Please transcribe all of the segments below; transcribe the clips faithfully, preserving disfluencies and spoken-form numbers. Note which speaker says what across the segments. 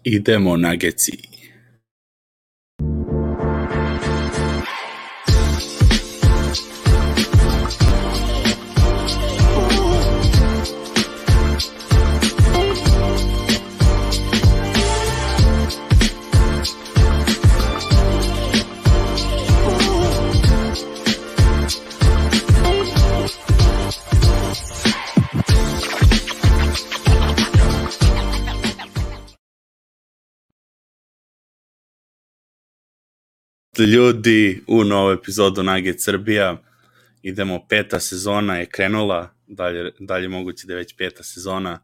Speaker 1: Idemo Nuggetsi. Ljudi, u novu epizodu Nugget Srbija. Idemo, peta sezona je krenula, dalje, dalje moguće da je već peta sezona.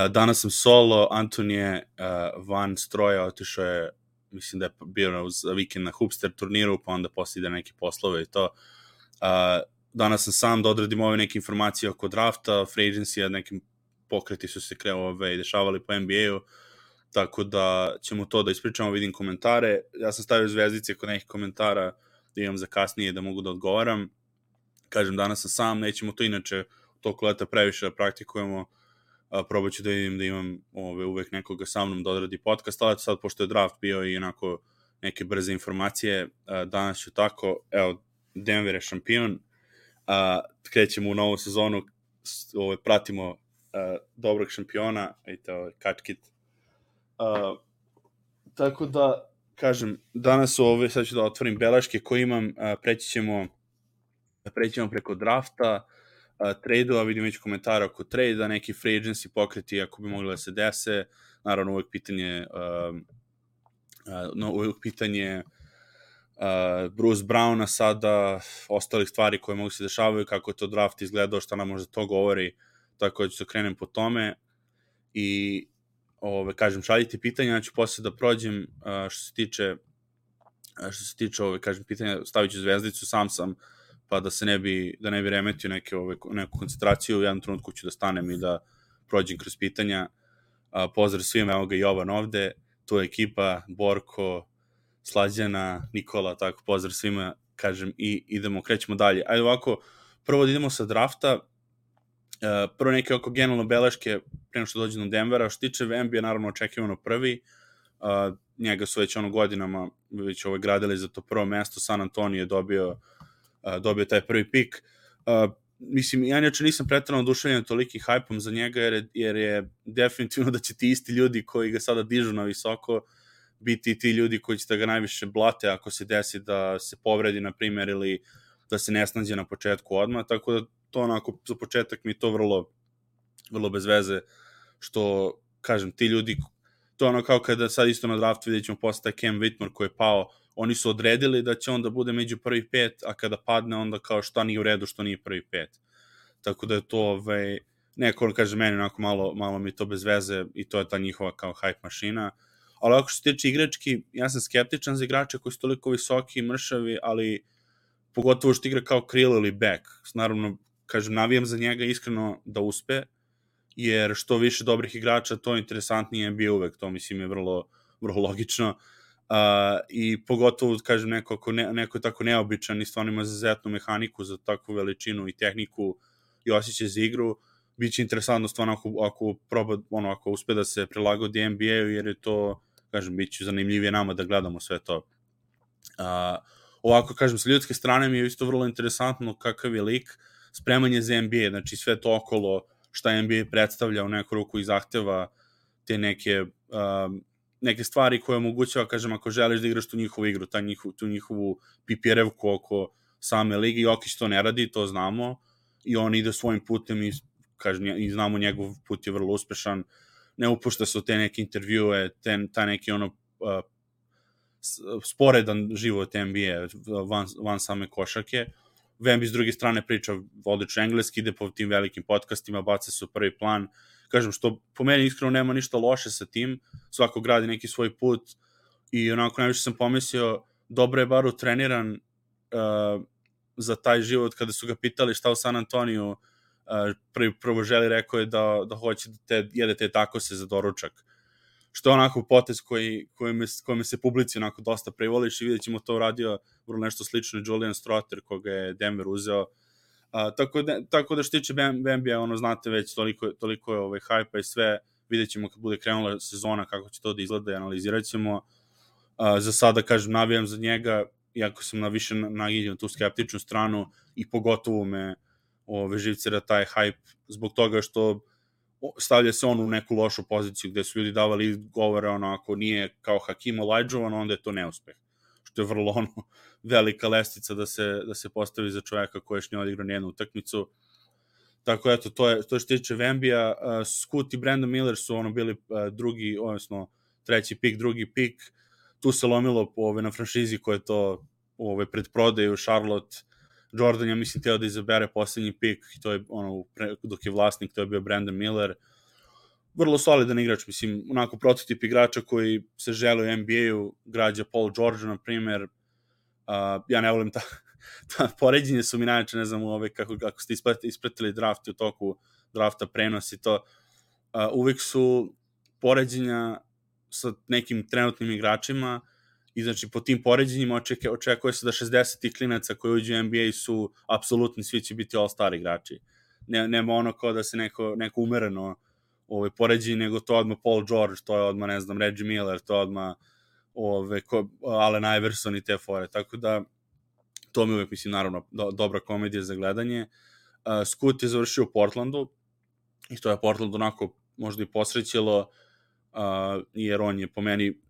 Speaker 1: Danas sam solo, Anton je van stroja, otišao je, mislim da je bio uz vikend na Hupster turniru, pa onda poslije ide neke poslove i to. Danas sam sam da odradim ove neke informacije oko drafta, free agency, nekim pokreti su se kreove i dešavali po N B A-u. Tako da ćemo to da ispričamo, vidim komentare. Ja sam stavio zvezdice kod nekih komentara da imam za kasnije da mogu da odgovaram. Kažem, danas sam sam, nećemo to inače toliko leta previše da praktikujemo. Probat ću da vidim da imam ove, uvek nekoga sa mnom da odradi podcast, ali sad pošto je draft bio i onako neke brze informacije, danas ću tako, evo, Denver je šampion, krećemo u novu sezonu, ove, pratimo dobrog šampiona, vidite, ovo je kačkit. Uh, tako da, kažem, danas ove, sad ću da otvorim beleške koje imam, uh, preći ćemo preći ćemo preko drafta, uh, trade-a, vidim već komentara oko trade-a, neki free agency pokreti ako bi mogli da se dese, naravno uvek pitanje uh, uh, no, uvek pitanje uh, Bruce Browna sada, ostalih stvari koje mogu se dešavaju, kako je to draft izgledao, šta nam možda to govori, tako da ću se krenem po tome i Ove, kažem, šaljite pitanja, ja ću poslije da prođem a, što se tiče a, što se tiče, ove, kažem, pitanja, stavit ću zvezdicu, sam sam, pa da se ne bi, da ne bi remetio neke, ove, neku koncentraciju, u jednom trenutku ću da stanem i da prođem kroz pitanja. A, pozdrav svima, evo ga Jovan ovde, tu je ekipa, Borko, Slađana, Nikola, tako, pozdrav svima, kažem, i idemo, krećemo dalje. Ajde ovako, prvo da idemo sa drafta. Uh, prvo neke oko generalno beleške prema što dođe do Denvera, što tiče N B A naravno očekivano prvi, uh, njega su već ono godinama već ovaj gradili za to prvo mesto, San Antonio je dobio, uh, dobio taj prvi pik. Uh, mislim, ja neče nisam pretrano oduševljen tolikim hajpom za njega, jer je, jer je definitivno da će ti isti ljudi koji ga sada dižu na visoko biti ti ljudi koji će da ga najviše blate ako se desi da se povredi, na primjer, ili da se ne snađe na početku odmah, tako da to onako, za početak mi je to vrlo, vrlo bez veze, što, kažem, ti ljudi, to je ono kao kada sad isto na draftu vidjet ćemo posle Cam Whitmore koji je pao, oni su odredili da će on da bude među prvi pet, a kada padne onda kao šta nije u redu, što nije prvi pet. Tako da je to, ovaj, neko kaže meni onako malo, malo mi to bez veze i to je ta njihova kao hype mašina. Ali ako što se tiče igrački, ja sam skeptičan za igrače koji su toliko visoki i mršavi, ali pogotovo što igra kao krill ili back. Naravno, kažem, navijam za njega iskreno da uspe, jer što više dobrih igrača, to interesantnije bi uvek, to mislim je vrlo, vrlo logično. Uh, I pogotovo, kažem, neko, ako ne, neko je tako neobičan i stvarno ima zazetnu mehaniku za takvu veličinu i tehniku i osjećaj za igru, bit će interesantno stvarno ako, ako, proba, ono, ako uspe da se prilagodi N B A-u, jer je to, kažem, bit će zanimljivije nama da gledamo sve to. Uh, ovako, kažem, sa ljudske strane mi je isto vrlo interesantno kakav je lik, spremanje za N B A, znači sve to okolo šta N B A predstavlja u neku ruku i zahteva te neke, um, neke stvari koje omogućava, kažem, ako želiš da igraš tu njihovu igru, ta njihovu, tu njihovu P P R-evku oko same lige, Jokić to ne radi, to znamo, i on ide svojim putem i, kažem, i znamo njegov put je vrlo uspešan, ne upušta se u te neke intervjue, ten, ta neki ono uh, sporedan život N B A van, van same košake. Vembi s druge strane priča odlično engleski, ide po tim velikim podcastima, baca se u prvi plan. Kažem, što po meni iskreno nema ništa loše sa tim, svako gradi neki svoj put i onako najviše sam pomislio, dobro je bar utreniran uh, za taj život. Kada su ga pitali šta u San Antoniju, uh, prvi, prvo želi, rekao je da, da hoće da te, jede te takose za doručak. Što je onako potez koji, koji, me, koji me se publici onako dosta privoliš i vidjet ćemo to uradio vrlo nešto slično Julian Strother koga je Denver uzeo. Uh, tako, da, tako da što tiče N B A, ono znate već toliko, toliko je ovaj hype i sve, vidjet ćemo kad bude krenula sezona kako će to da izgleda i analizirat ćemo. Uh, za sada, kažem, navijam za njega, iako sam na više naginjen na tu skeptičnu stranu i pogotovo me ove, živcira taj hype zbog toga što stavlja se on u neku lošu poziciju gde su ljudi davali govore ono, ako nije kao Hakim Olajuđovan, onda je to neuspeh. Što je vrlo ono, velika lestica da se, da se postavi za čoveka koji još nije odigrao nijednu utakmicu. Tako eto, to je, to je što tiče Vembija. Uh, Scoot i Brandon Miller su ono bili uh, drugi, odnosno treći pik, drugi pik. Tu se lomilo ove, na franšizi koje to ove, pred prodaju Charlotte. Jordan, ja mislim, teo da izabere poslednji pik, to je ono, pre, dok je vlasnik, to je bio Brandon Miller. Vrlo solidan igrač, mislim, onako prototip igrača koji se žele u N B A-u, građa Paul George, na primer. Uh, ja ne volim ta, ta poređenje su mi najče, ne znam, ove, kako, kako ste ispratili draft u toku drafta, prenos i to. Uh, uvek su poređenja sa nekim trenutnim igračima i znači po tim poređenjima očekuje, očekuje se da šezdeset klinaca koji uđu u N B A su apsolutni, svi će biti all-star igrači. Ne, nema ono kao da se neko, neko umereno ovaj, poređenje, nego to odmah Paul George, to je odmah, ne znam, Reggie Miller, to je odmah ove, ko, Allen Iverson i te fore. Tako da, to mi uvek, mislim, naravno, do, dobra komedija za gledanje. Uh, Scoot je završio u Portlandu i to je Portland onako možda i posrećilo, uh, jer on je po meni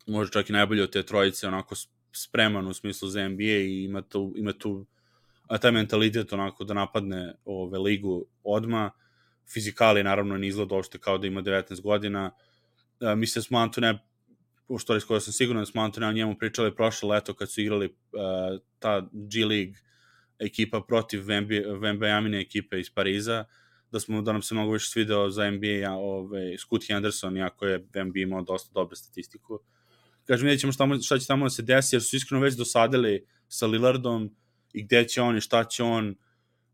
Speaker 1: možda čak i najbolje od te trojice, onako spreman u smislu za N B A i ima tu, ima tu a taj mentalitet onako da napadne ove ligu odma. Fizikali naravno ne izgleda uopšte kao da ima devetnaest godina. Uh, mislim da smo Antone, u što skoro sam siguran da smo Antone o njemu pričali prošle leto kad su igrali uh, ta G League ekipa protiv Vembajamine ekipe iz Pariza, da smo da nam se mnogo više svideo za N B A ove, Scoot Henderson, iako je N B A imao dosta dobre statistiku. Kažem, vidjet ćemo šta, šta će tamo da se desi, jer su iskreno već dosadili sa Lillardom i gde će on i šta će on.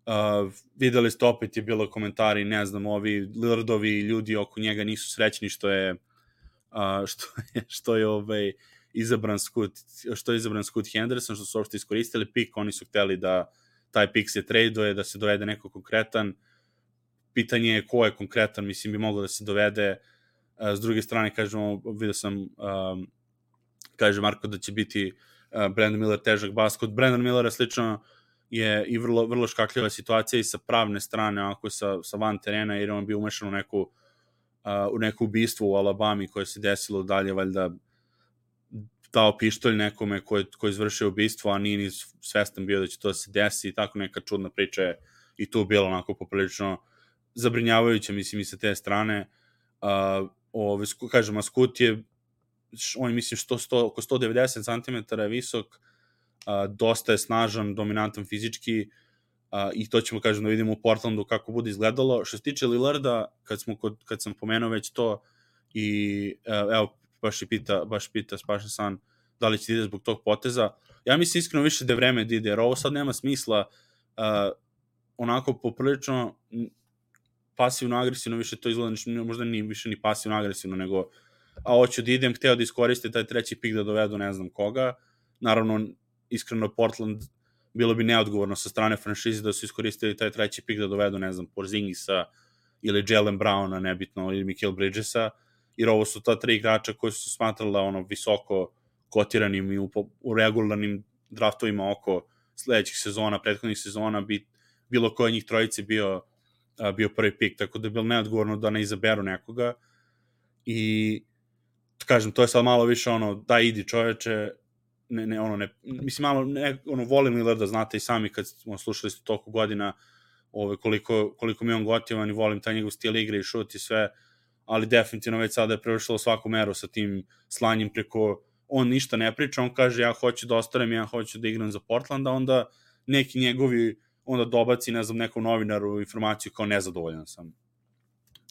Speaker 1: Uh, videli ste, opet je bilo komentari, ne znam, ovi Lillardovi ljudi oko njega nisu srećni što je uh, što je, što je ovaj, izabran Scoot, što je izabran Scoot Henderson, što su uopšte iskoristili pik, oni su hteli da taj pik se traduje, da se dovede neko konkretan. Pitanje je ko je konkretan, mislim, bi moglo da se dovede. Uh, s druge strane, kažemo, vidio sam um, kaže Marko da će biti uh, Brandon Miller težak bas. Kod Brandon Millera slično je i vrlo, vrlo škakljiva situacija i sa pravne strane, ako sa, sa van terena, jer on bio umešan u neku, uh, u neku ubistvo u Alabami koje se desilo dalje, valjda dao pištolj nekome ko je, ko je izvršio ubistvo, a nije ni svestan bio da će to se desi i tako neka čudna priča je i tu bilo onako poprilično zabrinjavajuće, mislim, i sa te strane. Uh, ove, kažem, a Scoot je on je, mislim, sto, sto, oko sto devedeset centimetara je visok, uh, dosta je snažan, dominantan fizički uh, i to ćemo, kažem, da vidimo u Portlandu kako bude izgledalo. Što se tiče Lillarda, kad, smo kod, kad sam pomenuo već to i uh, evo, baš pita, baš pita Spašan San da li će ide zbog tog poteza. Ja mislim iskreno više da je vreme da ide, jer ovo sad nema smisla uh, onako poprilično pasivno-agresivno, više to izgleda, možda ni više ni pasivno-agresivno, nego a hoću da idem, hteo da iskoriste taj treći pik da dovedu ne znam koga. Naravno, iskreno Portland bilo bi neodgovorno sa strane franšize da su iskoristili taj treći pik da dovedu, ne znam, Porzingisa ili Jaylen Browna, nebitno, ili Mikal Bridgesa, jer ovo su ta tri igrača koji su smatrala ono visoko kotiranim i u, u regularnim draftovima oko sledećih sezona, prethodnih sezona, bi bilo koje njih trojice bio, a, bio prvi pik, tako da je bilo neodgovorno da ne izaberu nekoga. I kažem, to je sad malo više ono, da idi čoveče, ne, ne, ono, ne, mislim, malo, ne, ono, volim Lillarda, znate i sami kad smo slušali ste toliko godina, ove, koliko, koliko mi on gotivan i volim taj njegov stil igre i šut i sve, ali definitivno već sada je prevršilo svaku meru sa tim slanjem preko, on ništa ne priča, on kaže ja hoću da ostanem, ja hoću da igram za Portland, a onda neki njegovi, onda dobaci, ne znam, nekom novinaru informaciju kao nezadovoljan sam.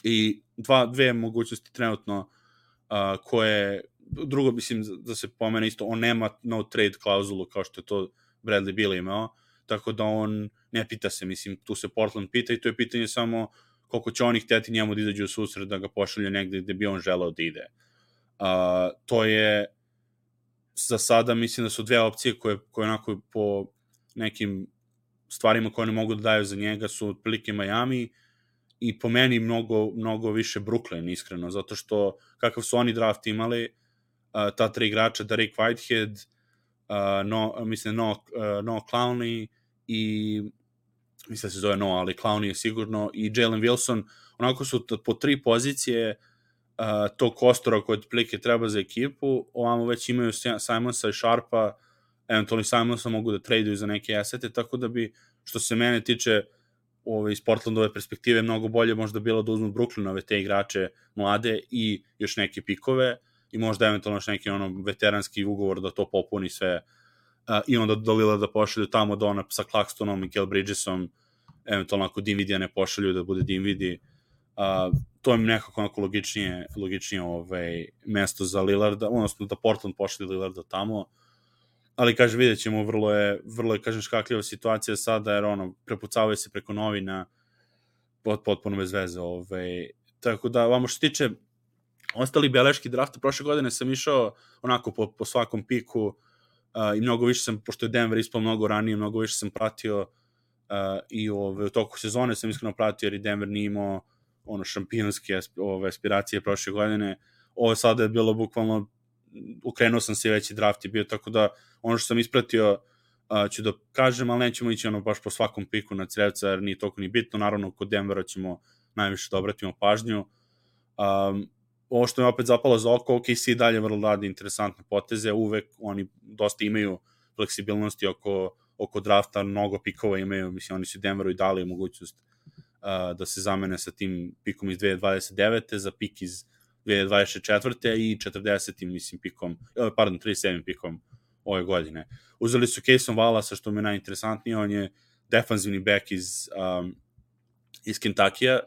Speaker 1: I dva, dve mogućnosti trenutno Uh, koje, drugo mislim da se pomene isto, on nema no trade klauzulu kao što je to Bradley Beal imao, tako da on ne pita se, mislim, tu se Portland pita i to je pitanje samo koliko će oni hteti njemu da izađu u susret, da ga pošalju negde gde bi on želeo da ide. Uh, to je za sada, mislim da su dve opcije koje, koje onako po nekim stvarima koje oni mogu da daju za njega su otprilike Miami i po meni mnogo, mnogo više Brooklyn, iskreno, zato što kakav su oni draft imali, uh, ta tri igrača, Derek Whitehead, uh, no, mislim, no, uh, no Clowney i mislim da se zove No, ali Clowney je sigurno, i Jalen Wilson, onako su po tri pozicije uh, tog kostora koji otprilike treba za ekipu, ovamo već imaju Simonsa i Sharpa, eventualno Simonsa mogu da traduju za neke asete, tako da bi, što se mene tiče, ove, iz Portlandove perspektive, mnogo bolje možda bilo da uzmu Brooklynove te igrače mlade i još neke pikove i možda eventualno još neki ono veteranski ugovor da to popuni sve, uh, i onda do Lila da pošalju tamo do ona sa Claxtonom i Kel Bridgesom, eventualno ako Dinvidija ne pošalju da bude Dinvidi, uh, to je nekako onako logičnije, logičnije ovaj, mesto za Lillarda, odnosno da Portland pošalju Lillarda tamo, ali kaže, vidjet ćemo, vrlo je, vrlo je, kažem, škakljiva situacija sada, jer ono, prepucavaju se preko novina, pot, potpuno bez veze, ovaj. Tako da, vamo što tiče ostali beleški drafta, prošle godine sam išao onako po, po svakom piku, uh, i mnogo više sam, pošto je Denver ispao mnogo ranije, mnogo više sam pratio, uh, i ove, u toku sezone sam iskreno pratio, jer i Denver nije imao ono šampionske ove, aspiracije prošle godine. Ovo sada je bilo bukvalno, ukrenuo sam se, veći draft je bio, tako da ono što sam ispratio uh, ću da kažem, ali nećemo ići ono baš po svakom piku na crevca, jer nije toliko ni bitno. Naravno, kod Denvera ćemo najviše da obratimo pažnju. Um, ovo što me opet zapalo za oko, O K C dalje vrlo radi interesantne poteze, uvek oni dosta imaju fleksibilnosti oko, oko drafta, mnogo pikova imaju, mislim, oni su Denveru i dali mogućnost uh, da se zamene sa tim pikom iz dve hiljade dvadeset devete za pik iz dve hiljade dvadeset četvrte i četrdesetim mislim pikom, pardon, trideset sedmim pikom ove godine. Uzeli su Cason Wallasa, što mi je najinteresantnije, on je defanzivni back iz, um, iz Kentuckya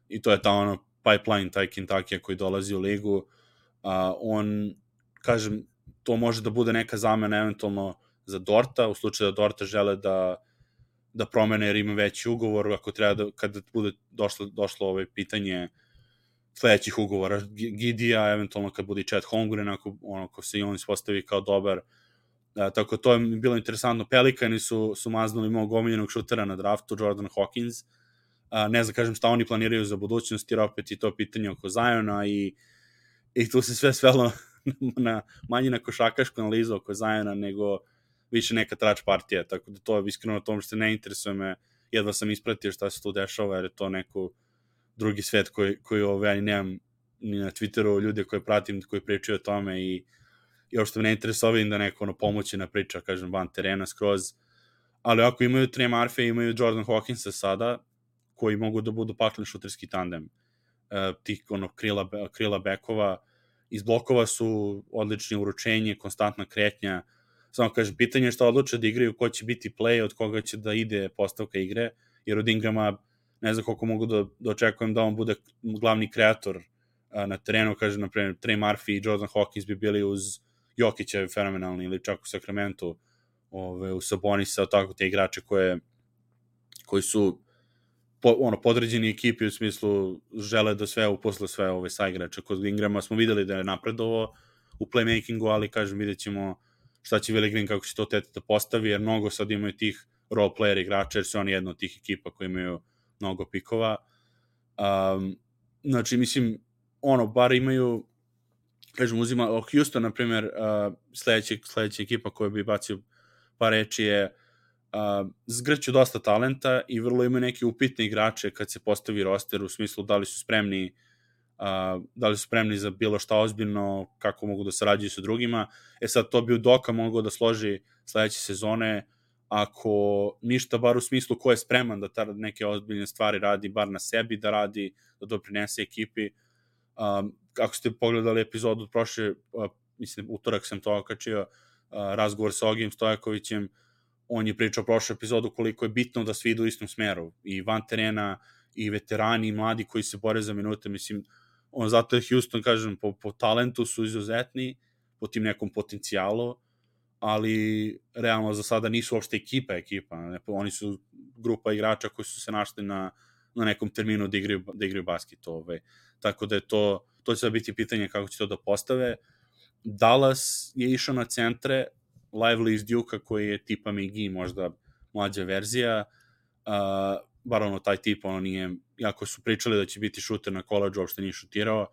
Speaker 1: i to je ta ono pipeline, taj Kentucky koji dolazi u ligu. Uh, on, kažem, to može da bude neka zamena eventualno za Dorta, u slučaju da Dorta žele da da promene jer ima veći ugovor, ako treba da, kada bude došlo, došlo ovo pitanje sledećih ugovora, Gidija, eventualno kad bude Chet Holmgren, ako, ono, ako se i on ispostavi kao dobar. A, tako to je bilo interesantno. Pelikani su, su maznuli mog omiljenog šutera na draftu, Jordan Hawkins. A, ne znam, kažem, šta oni planiraju za budućnost, jer opet i to pitanje oko Ziona i, i tu se sve svelo na, manje na košakašku analizu oko Ziona, nego više neka trač partija, tako da to je iskreno na tom što se ne interesuje me, jedva sam ispratio šta se tu dešava, jer je to neko drugi svet koji, koji ove, ja nemam ni na Twitteru ljude koje pratim, koji pričaju o tome i, i uopšte me ne interesuje da neko ono pomoći na priča, kažem, van terena skroz, ali ako imaju Trey Murphy, imaju Jordan Hawkinsa sada, koji mogu da budu paklen šuterski tandem, uh, tih ono, krila, krila bekova, iz blokova su odlični, uručenje, konstantna kretnja, samo kažem, pitanje je šta odluče da igraju, ko će biti play, od koga će da ide postavka igre, jer od Ingrama ne znam koliko mogu da, da očekujem da on bude glavni kreator a, na terenu, kažem, na primjer, Trey Murphy i Jordan Hawkins bi bili uz Jokića fenomenalni, ili čak u Sacramento, ove, u Sabonisa, tako te igrače koje, koji su po, ono, podređeni ekipi u smislu žele da sve uposle sve ove sa igrača. Kod Ingrama smo videli da je napredovo u playmakingu, ali kažem, vidjet ćemo šta će Willi Green, kako će to tete da postavi, jer mnogo sad imaju tih role player igrača, jer su oni jedna od tih ekipa koji imaju mnogo pikova. Um, znači, mislim, ono, bar imaju, kažem, uzima, Houston, na primjer, uh, sledeća, sledeća ekipa koja bi bacio par reči je uh, zgrću dosta talenta i vrlo imaju neke upitne igrače kad se postavi roster, u smislu da li su spremni Uh, da li su spremni za bilo šta ozbiljno, kako mogu da sarađuju sa drugima. E sad, to bi Udoka mogao da složi sledeće sezone, ako ništa, bar u smislu ko je spreman da ta neke ozbiljne stvari radi, bar na sebi da radi, da doprinese ekipi. Um, ako ste pogledali epizodu od prošle, uh, mislim, utorak sam to okačio, uh, razgovor sa Ogim Stojakovićem, on je pričao prošlu epizodu koliko je bitno da svi idu u istom smeru, i van terena, i veterani, i mladi koji se bore za minute, mislim, on, zato je Houston, kažem, po, po talentu su izuzetni, po tim nekom potencijalu, ali realno za sada nisu uopšte ekipa ekipa, ne? Oni su grupa igrača koji su se našli na, na nekom terminu da igraju, da igraju basket, ove. Tako da je to, to će da biti pitanje kako će to da postave. Dallas je išao na centre, Lively iz Duke-a koji je tipa McGee, možda mlađa verzija, uh, bar ono taj tip, ono nije, jako su pričali da će biti šuter na koleđu, uopšte nije šutirao.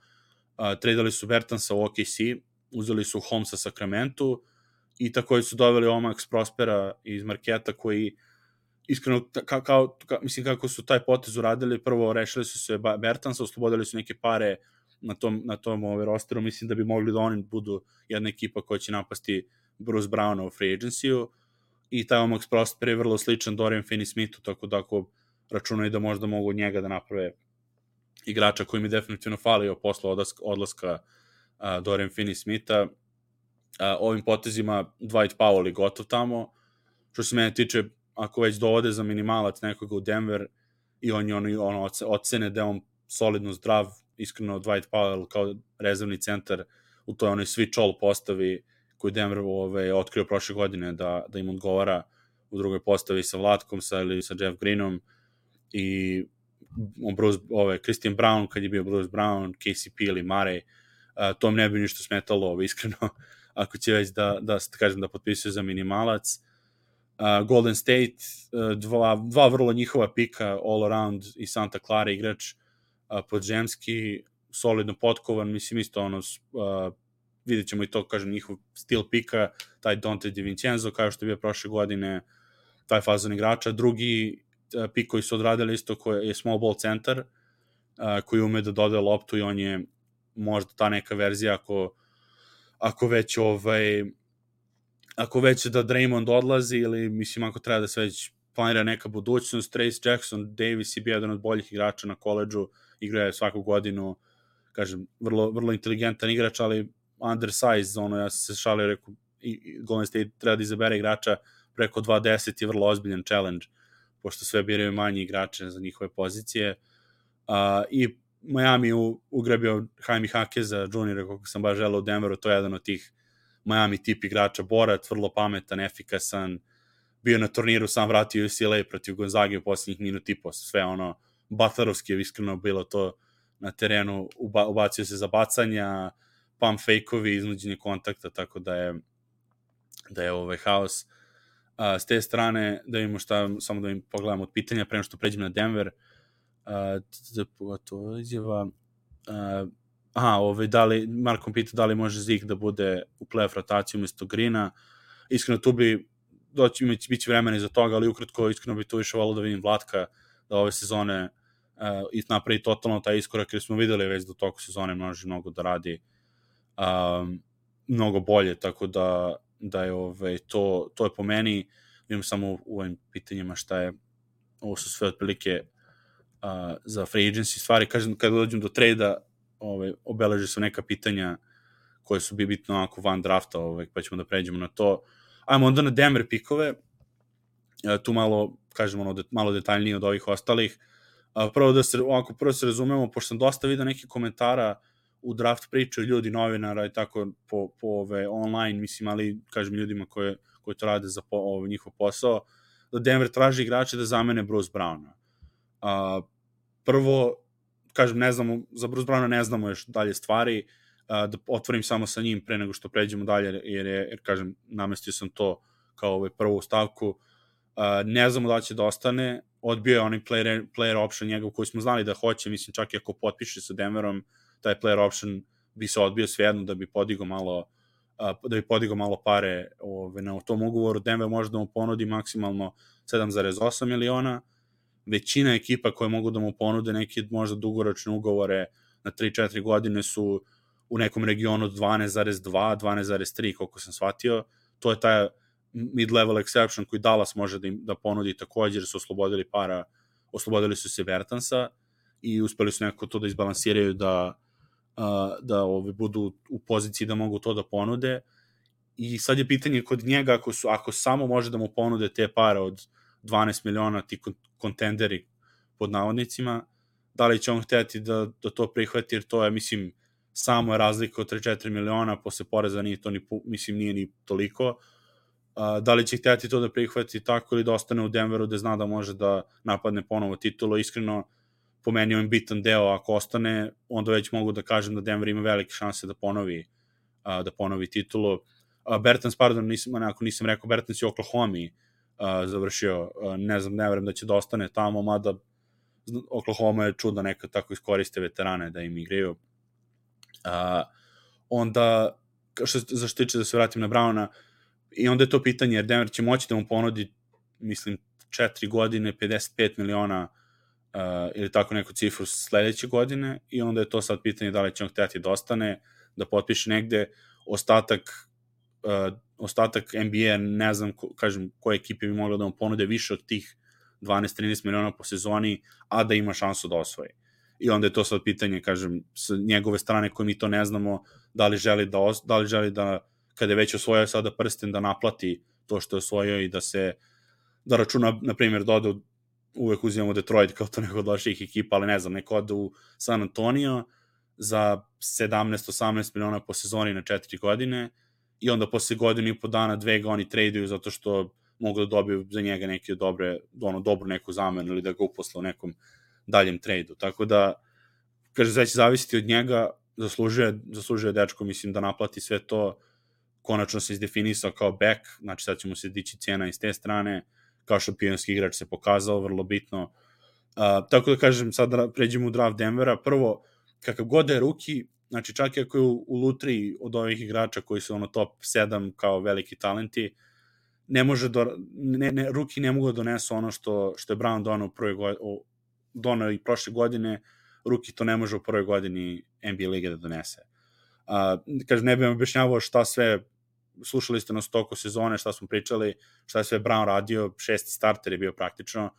Speaker 1: Uh, tradali su Bertansa u O K C, uzeli su Holmesa Sacramento i takođe su doveli Omax Prospera iz Marketa koji iskreno, ka, kao, ka, mislim kako su taj potez uradili, prvo rešili su se Bertansa, oslobodili su neke pare na tom, na tom ovaj, rosteru, mislim da bi mogli da oni budu jedna ekipa koja će napasti Bruce Browna u free agency-u i taj Omax Prosper je vrlo sličan Dorian Finney-Smithu, tako da ako računaju da možda mogu od njega da naprave igrača koji mi definitivno falio posle odlaska, odlaska uh, Dorian Finney-Smitha. Uh, ovim potezima Dwight Powell je gotov tamo. Što se mene tiče, ako već dovode za minimalac nekoga u Denver i on je ono, ono ocene da je on solidno zdrav, iskreno Dwight Powell kao rezervni centar u toj onoj switch all postavi koju Denver ove, otkrio prošle godine da, da im odgovara u drugoj postavi sa Vlatkom sa, ili sa Jeff Greenom i Bruce, ove, Christian Brown kad je bio Bruce Brown, K C P ili Murray, uh, to mi ne bi ništa smetalo ove, iskreno ako će već da, da, da kažem da potpisuje za minimalac. Uh, Golden State, uh, dva, dva vrlo njihova pika all around i Santa Clara igrač uh, podzemski, solidno potkovan, mislim isto ono uh, vidjet ćemo i to, kažem, njihov stil pika, taj Dante DiVincenzo kao što je bio prošle godine, taj fazon igrača. Drugi uh, pik koji su odradili isto koji je small ball centar uh, koji ume da dodaje loptu i on je možda ta neka verzija ako, ako već ovaj ako već da Draymond odlazi ili mislim ako treba da se već planira neka budućnost. Trace Jackson Davis je bio jedan od boljih igrača na koleđu, igra je svaku godinu, kažem, vrlo, vrlo inteligentan igrač, ali undersize, ono, ja sam se šalio, rekao, Golden State treba da izabere igrača preko dva deset je vrlo ozbiljan challenge, pošto sve biraju manji igrače za njihove pozicije. Uh, I Miami u, ugrabio Jaime Jaqueza juniora, kako sam baš želeo u Denveru, to je jedan od tih Miami tip igrača, borac, vrlo pametan, efikasan, bio na turniru, sam vratio U C L A protiv Gonzage u posljednjih minut i po, sve ono, Butlerovski je iskreno bilo to na terenu, uba, ubacio se za bacanja, pump fake-ovi, iznuđenje kontakta, tako da je da je ovaj haos. Uh, s te strane, da vidimo šta, samo da im pogledam od pitanja, prema što pređem na Denver, uh, to izjava, uh, aha, ovaj, da li, Markom pita da li može Zik da bude u playoff rotaciji umjesto Greena. Iskreno, tu bi doći, bit će vremena iza toga, ali ukratko, iskreno bi tu više volio da vidim Vlatka, da ove sezone uh, i napravi totalno taj iskorak, jer smo videli već da u toku sezone može mnogo da radi um, mnogo bolje, tako da, da je ovaj, to, to je po meni, vidim samo u, u ovim pitanjima šta je, ovo su sve otprilike uh, za free agency stvari, kažem, kada dođem do trejda, ovaj, obeleži su neka pitanja koje su bi bitno onako van drafta, ovaj, pa ćemo da pređemo na to. Ajmo onda na Denver pikove, tu malo, kažem, ono, det, malo detaljnije od ovih ostalih. Prvo da se, ovako, prvo se razumemo, pošto sam dosta vidio nekih komentara u draft priče ljudi, novinara i tako po, po ove, online, mislim, ali, kažem, ljudima koje, koji to rade za po, ove, njihov posao, da Denver traži igrače da zamene Bruce Browna. Uh, prvo, kažem, ne znamo, za Bruce Browna ne znamo još dalje stvari, uh, da otvorim samo sa njim pre nego što pređemo dalje, jer, je, jer kažem, namestio sam to kao ovaj prvu stavku. Uh, ne znamo da će da ostane, odbio je onaj player, player option njegov koji smo znali da hoće, mislim, čak i ako potpiše sa Denverom, taj player option bi se odbio svejedno da bi podigao malo, uh, da bi podigao malo pare ove, na tom ugovoru. Denver može da mu ponudi maksimalno sedam zarez osam miliona, većina ekipa koje mogu da mu ponude neke možda dugoročne ugovore na tri četiri godine su u nekom regionu dvanaest zarez dva, dvanaest zarez tri, koliko sam shvatio. To je taj mid-level exception koji Dallas može da, im, da ponudi također, su oslobodili para, oslobodili su se Bertansa i uspeli su nekako to da izbalansiraju da, uh, da ovi budu u poziciji da mogu to da ponude. I sad je pitanje kod njega, ako, su, ako samo može da mu ponude te pare od dvanaest miliona, ti kontenderi pod navodnicima, da li će on hteti da, da to prihvati, jer to je, mislim, samo je razlika od tri četiri miliona, posle poreza nije to ni, mislim, nije ni toliko. Uh, da li će hteti to da prihvati tako ili da ostane u Denveru da zna da može da napadne ponovo titulu. Iskreno, po meni on bitan deo, ako ostane, onda već mogu da kažem da Denver ima velike šanse da ponovi, uh, da ponovi titulu. Uh, Bertans, pardon, nisam, onako, nisam rekao, Bertans je u Oklahoma uh, završio, uh, ne znam, ne verujem da će da ostane tamo, mada Oklahoma je čuda nekad tako iskoriste veterane da im igraju. Uh, onda, što, za što tiče da se vratim na Browna, i onda je to pitanje, jer Denver će moći da mu ponudi, mislim, četiri godine, pedeset pet miliona uh, ili tako neku cifru sledeće godine, i onda je to sad pitanje da li će on hteti da ostane, da potpiše negde. Ostatak uh, ostatak N B A, ne znam, ko, kažem, koje ekipe bi mogla da mu ponude više od tih dvanaest trinaest miliona po sezoni, a da ima šansu da osvoji. I onda je to sad pitanje, kažem, s njegove strane koje mi to ne znamo, da li želi da, os, da li želi da, kada je već osvojio sada prsten, da naplati to što je osvojio i da se, da računa, na primjer, da ode, uvek uzimamo Detroit kao to neko od loših ekipa, ali ne znam, neko ode u San Antonio za sedamnaest osamnaest miliona po sezoni na četiri godine, i onda posle godinu i po dana, dve ga oni traduju zato što mogu da dobiju za njega neke dobre, ono, dobru neku zamenu ili da ga uposle u nekom daljem tradu. Tako da, kaže, sve će zavisiti od njega, zaslužuje, zaslužuje dečko, mislim, da naplati sve to, konačno se izdefinisao kao back, znači sad će mu se dići cena iz te strane, kao šampionski igrač se pokazao, vrlo bitno. Uh, tako da kažem, sad da pređemo u draft Denvera. Prvo, kakav god je rookie, znači čak i ako je u, u lutriji od ovih igrača koji su ono top sedam kao veliki talenti, ne može do, ne, ne, rookie ne mogu da donesu ono što, što je Brown donao u prvoj godini, donao i prošle godine, rookie to ne može u prvoj godini N B A lige da donese. Uh, kažem, ne bih vam objašnjavao šta sve, slušali ste nas toku sezone, šta smo pričali, šta je sve Brown radio, šesti starter je bio praktično,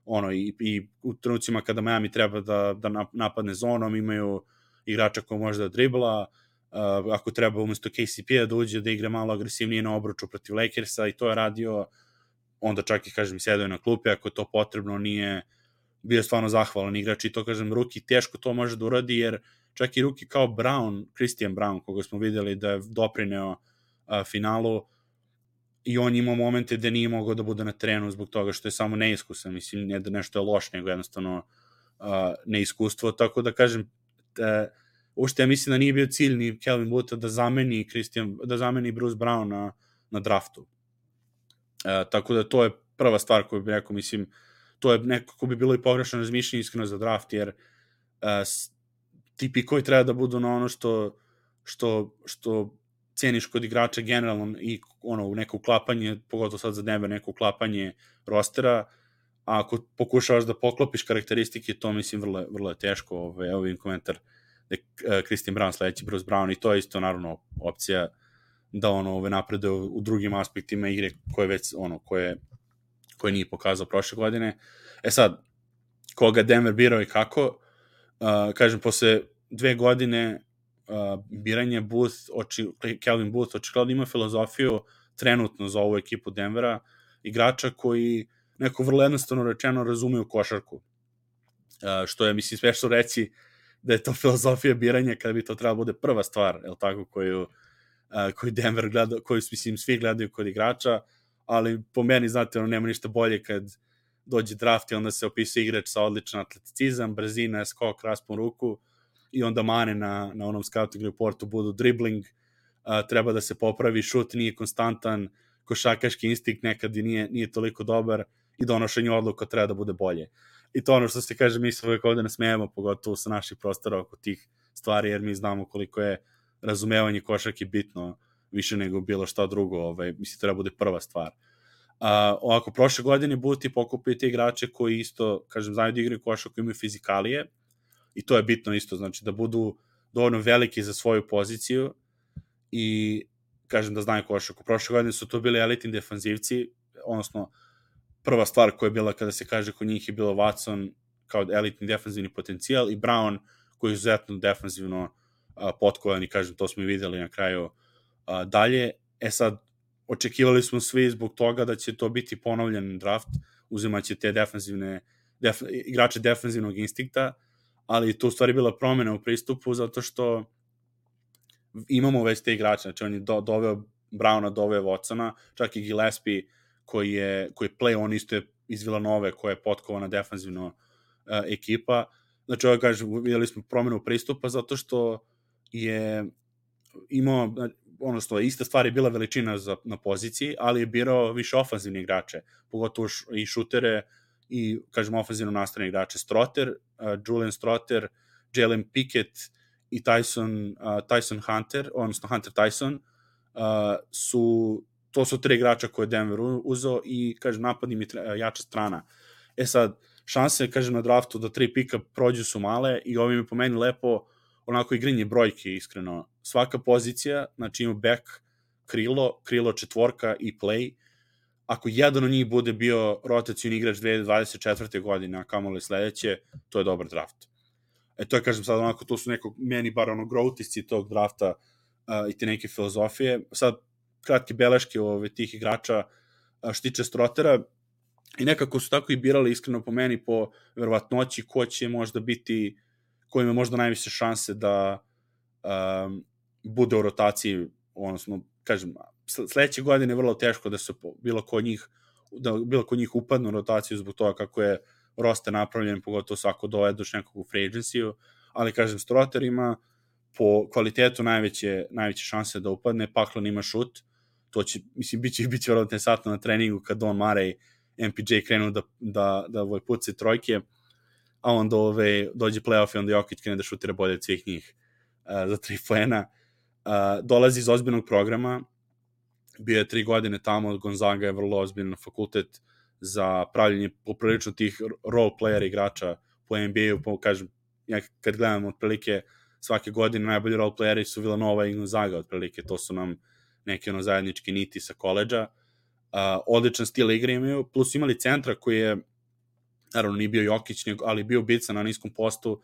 Speaker 1: ono, i, i u trenucima kada Miami treba da, da napadne zonom, imaju igrača koji može da dribla, uh, ako treba umesto K C P-a da uđe da igra malo agresivnije na obruču protiv Lakersa, i to je radio, onda čak i, kažem, sedao na klupe, ako je to potrebno, nije bio stvarno zahvalan igrač, i to, kažem, rookie teško to može da uradi, jer čak i rookie kao Brown, Christian Brown, koga smo videli da je doprineo uh, finalu, i on ima momente gde nije mogao da bude na terenu zbog toga što je samo neiskusan, mislim, ne da nešto je loš, nego jednostavno uh, neiskustvo, tako da, kažem, te, uopšte ja mislim da nije bio cilj ni Calvin Bootha da zameni Christian, da zameni Bruce Brown na, na draftu. Uh, tako da to je prva stvar koju bih rekao, mislim, to je nekako bi bilo i pogrešno razmišljanje iskreno za draft, jer uh, ti pikovi treba da budu na ono što, što, što ceniš kod igrača generalno, i ono, neko uklapanje, pogotovo sad za Denver, neko uklapanje rostera, a ako pokušavaš da poklopiš karakteristike, to mislim vrlo, vrlo je teško. Ove, evo vidim komentar da je Christian Brown sledeći Bruce Brown, i to je isto naravno opcija da ono ove napreduje u, u drugim aspektima igre koje već ono koje koje nije pokazao prošle godine. E sad, koga Denver birao i kako, uh, kažem, posle dve godine uh, biranje Booth, oči, Calvin Booth očigledno ima filozofiju trenutno za ovu ekipu Denvera, igrača koji neko vrlo jednostavno rečeno razumeju košarku. Uh, što je, mislim, smešno reći da je to filozofija biranja kada bi to trebalo bude prva stvar, je li tako, koju, uh, koju Denver gleda, koju, mislim, svi gledaju kod igrača, ali po meni, znate, ono, nema ništa bolje kad dođe draft i onda se opisuje igrač sa odličan atleticizam, brzina, skok, raspon ruku, i onda mane na, na onom scouting reportu budu dribbling, uh, treba da se popravi, šut nije konstantan, košakaški instinkt nekad i nije, nije toliko dobar, i donošenje odluka treba da bude bolje. I to ono što se kaže, mi se uvijek ovde nasmejemo, pogotovo sa naših prostora oko tih stvari, jer mi znamo koliko je razumevanje košarke bitno, više nego bilo šta drugo, ovaj, mislim, treba bude prva stvar. Uh, ovako, prošle godine Booth pokupio te igrače koji isto, kažem, znaju da igraju košarku, koji imaju fizikalije, i to je bitno isto, znači da budu dovoljno veliki za svoju poziciju i, kažem, da znaju košarku. Prošle godine su to bili elitni defanzivci, odnosno prva stvar koja je bila kada se kaže kod njih je bilo Watson kao elitni defanzivni potencijal i Brown koji je izuzetno defanzivno uh, potkovan, i, kažem, to smo i videli na kraju uh, dalje. E sad, očekivali smo svi zbog toga da će to biti ponovljen draft, uzimaće te defanzivne, def, igrače defanzivnog instinkta, ali to u stvari bila promena u pristupu, zato što imamo već te igrače, znači on je do, doveo Browna, doveo Watsona, čak i Gillespie koji je, koji je play, on isto je iz Villanove, koja je potkovana defanzivno uh, ekipa. Znači, ovo kažem, vidjeli smo promenu pristupa zato što je imao, odnosno, ista stvar je bila veličina za, na poziciji, ali je birao više ofanzivne igrače, pogotovo š, i šutere i, kažemo, ofanzivno nastavne igrače. Strotter, uh, Julian Strotter, Jalen Pickett i Tyson, uh, Tyson Hunter, odnosno Hunter Tyson, uh, su, to su tri igrača koje je Denver uzeo i, kažem, napad im je jača strana. E sad, šanse, kažem, na draftu da tri pika prođu su male i ovim je po meni lepo onako igrinje brojke, iskreno. Svaka pozicija, znači ima back, krilo, krilo četvorka i play. Ako jedan od njih bude bio rotacijni igrač dve hiljade dvadeset četvrte godine, a kamoli sledeće, to je dobar draft. E to je, kažem, sad onako, to su neko, meni bar ono growtisci tog drafta uh, i te neke filozofije. Sad, kratke beleške ove, tih igrača uh, štiče Strotera i nekako su tako i birali, iskreno po meni, po verovatnoći ko će možda biti, ko ima možda najviše šanse da um, bude u rotaciji, odnosno, kažem, sledeće godine je vrlo teško da se bilo ko njih da bilo ko njih upadne u rotaciju zbog toga kako je roster napravljen, pogotovo svako dovedeš nekog u free agency-u, ali, kažem, Strotter ima po kvalitetu najveće, najveće šanse da upadne, Paklon ima šut, to će, mislim, bit će, bit će vrlo interesantno na treningu kad Don Murray, M P J krenu da, da, da ovaj, puci trojke, a onda ove, dođe playoff i onda Jokić krene da šutira bolje od svih njih uh, za tri poena. Uh, dolazi iz ozbiljnog programa, bio je tri godine tamo, Gonzaga je vrlo ozbiljan fakultet za pravljenje poprilično tih role player igrača po N B A-u, po, kažem, ja kad gledam otprilike svake godine najbolji role playeri su Villanova i Gonzaga, otprilike, to su nam neke ono zajedničke niti sa koleđa. Uh, odličan stil igre imaju, plus imali centra koji je, naravno nije bio Jokić, ali bio bica na niskom postu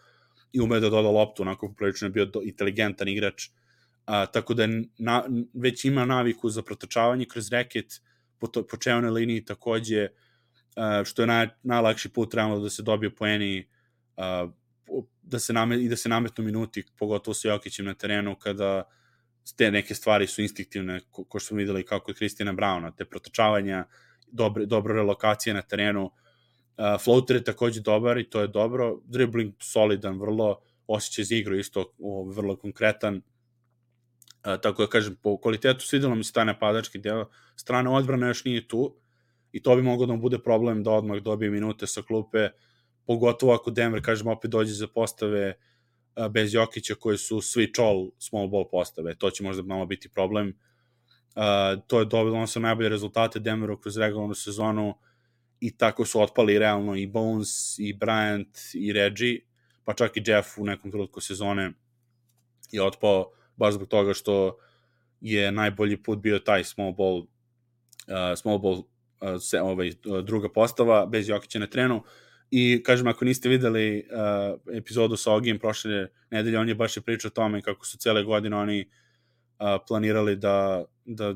Speaker 1: i umeo da doda loptu, onako poprilično je bio do, inteligentan igrač, uh, tako da na, već ima naviku za protočavanje kroz reket, po, to, po čevnoj liniji takođe, uh, što je naj, najlakši put trebalo da se dobije poeni, uh, da se namet, i da se nametnu minuti, pogotovo sa Jokićem na terenu, kada te neke stvari su instinktivne, ko, ko što smo videli kako je Kristina Brauna, te protočavanja, dobre, dobro relokacije na terenu. Uh, floater je takođe dobar i to je dobro. Dribbling solidan, vrlo osjećaj za igru, isto o, vrlo konkretan. Uh, tako da kažem, po kvalitetu svidelo mi se taj napadački deo. Strana odbrana još nije tu i to bi moglo da mu bude problem da odmah dobije minute sa klupe, pogotovo ako Denver, kažem, opet dođe za postave uh, bez Jokića koji su svi all small ball postave. To će možda malo biti problem. Uh, to je dobro, ono su najbolje rezultate Denveru kroz regularnu sezonu i tako su otpali realno i Bones, i Bryant, i Reggie, pa čak i Jeff u nekom trenutku sezone je otpao baš zbog toga što je najbolji put bio taj small ball, uh, small ball uh, se, ovaj, druga postava, bez Jokića na trenu. I, kažem, ako niste videli uh, epizodu sa Ogijem prošle nedelje, on je baš je pričao o tome kako su cele godine oni uh, planirali da, da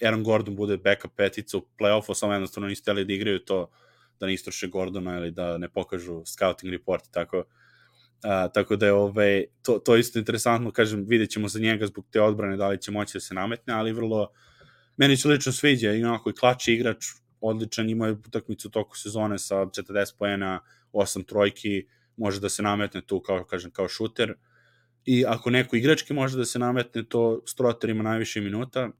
Speaker 1: Aaron Gordon bude backup petica u play-offu, samo jednostavno nisu hteli da igraju to, da ne istroše Gordona ili da ne pokažu scouting report, tako, uh, tako da je ove, to, to isto interesantno, kažem, vidjet ćemo za njega zbog te odbrane da li će moći da se nametne, ali vrlo, meni se lično sviđa, i onako i klači igrač, odličan, ima utakmicu u toku sezone sa četrdeset poena, osam trojki, može da se nametne tu kao, kažem, kao šuter, i ako neko igrački može da se nametne, to Strotter ima najviše minuta.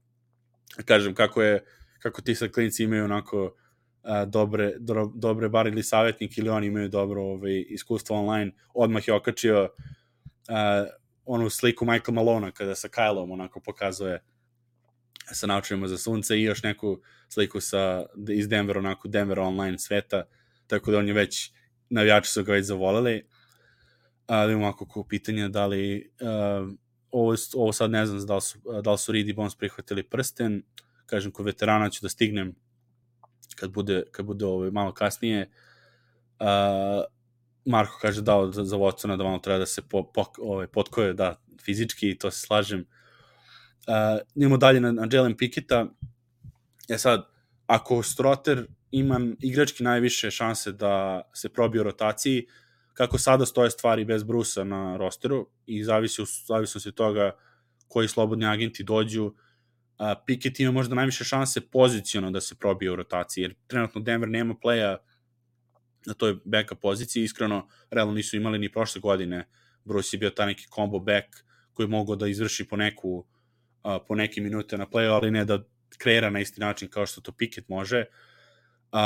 Speaker 1: Kažem, kako je, kako ti sad klinici imaju onako a, dobre, do, dobre bar ili savjetnik ili oni imaju dobro ovaj, iskustvo online, odmah je okačio a, onu sliku Michael Malona kada sa Kylom onako pokazuje sa naučujemo za sunce i još neku sliku sa, iz Denvera, onako Denver online sveta, tako da on je već, navijači su ga već zavoleli. Ali imamo ako pitanje da li uh, ovo, ovo sad ne znam da li su, da li su Reed i Bones prihvatili prsten, kažem, kod veterana ću da stignem kad bude, kad bude ovo malo kasnije. Uh, Marko kaže da za, za Watsona da malo treba da se po, po, ovaj, potkoje, da, fizički, i to se slažem. Uh, idemo dalje na, na Jalen Picketta. E sad, ako Strotter ima igrački najviše šanse da se probije u rotaciji, kako sada stoje stvari bez Brusa na rosteru i zavisi, zavisi se toga koji slobodni agenti dođu, uh, Pickett ima možda najviše šanse poziciono da se probije u rotaciji, jer trenutno Denver nema playa na toj backup poziciji, iskreno, realno nisu imali ni prošle godine. Bruce je bio taj neki combo back koji je mogao da izvrši po neku uh, po neke minute na playu, ali ne da kreira na isti način kao što to Pickett može. Uh,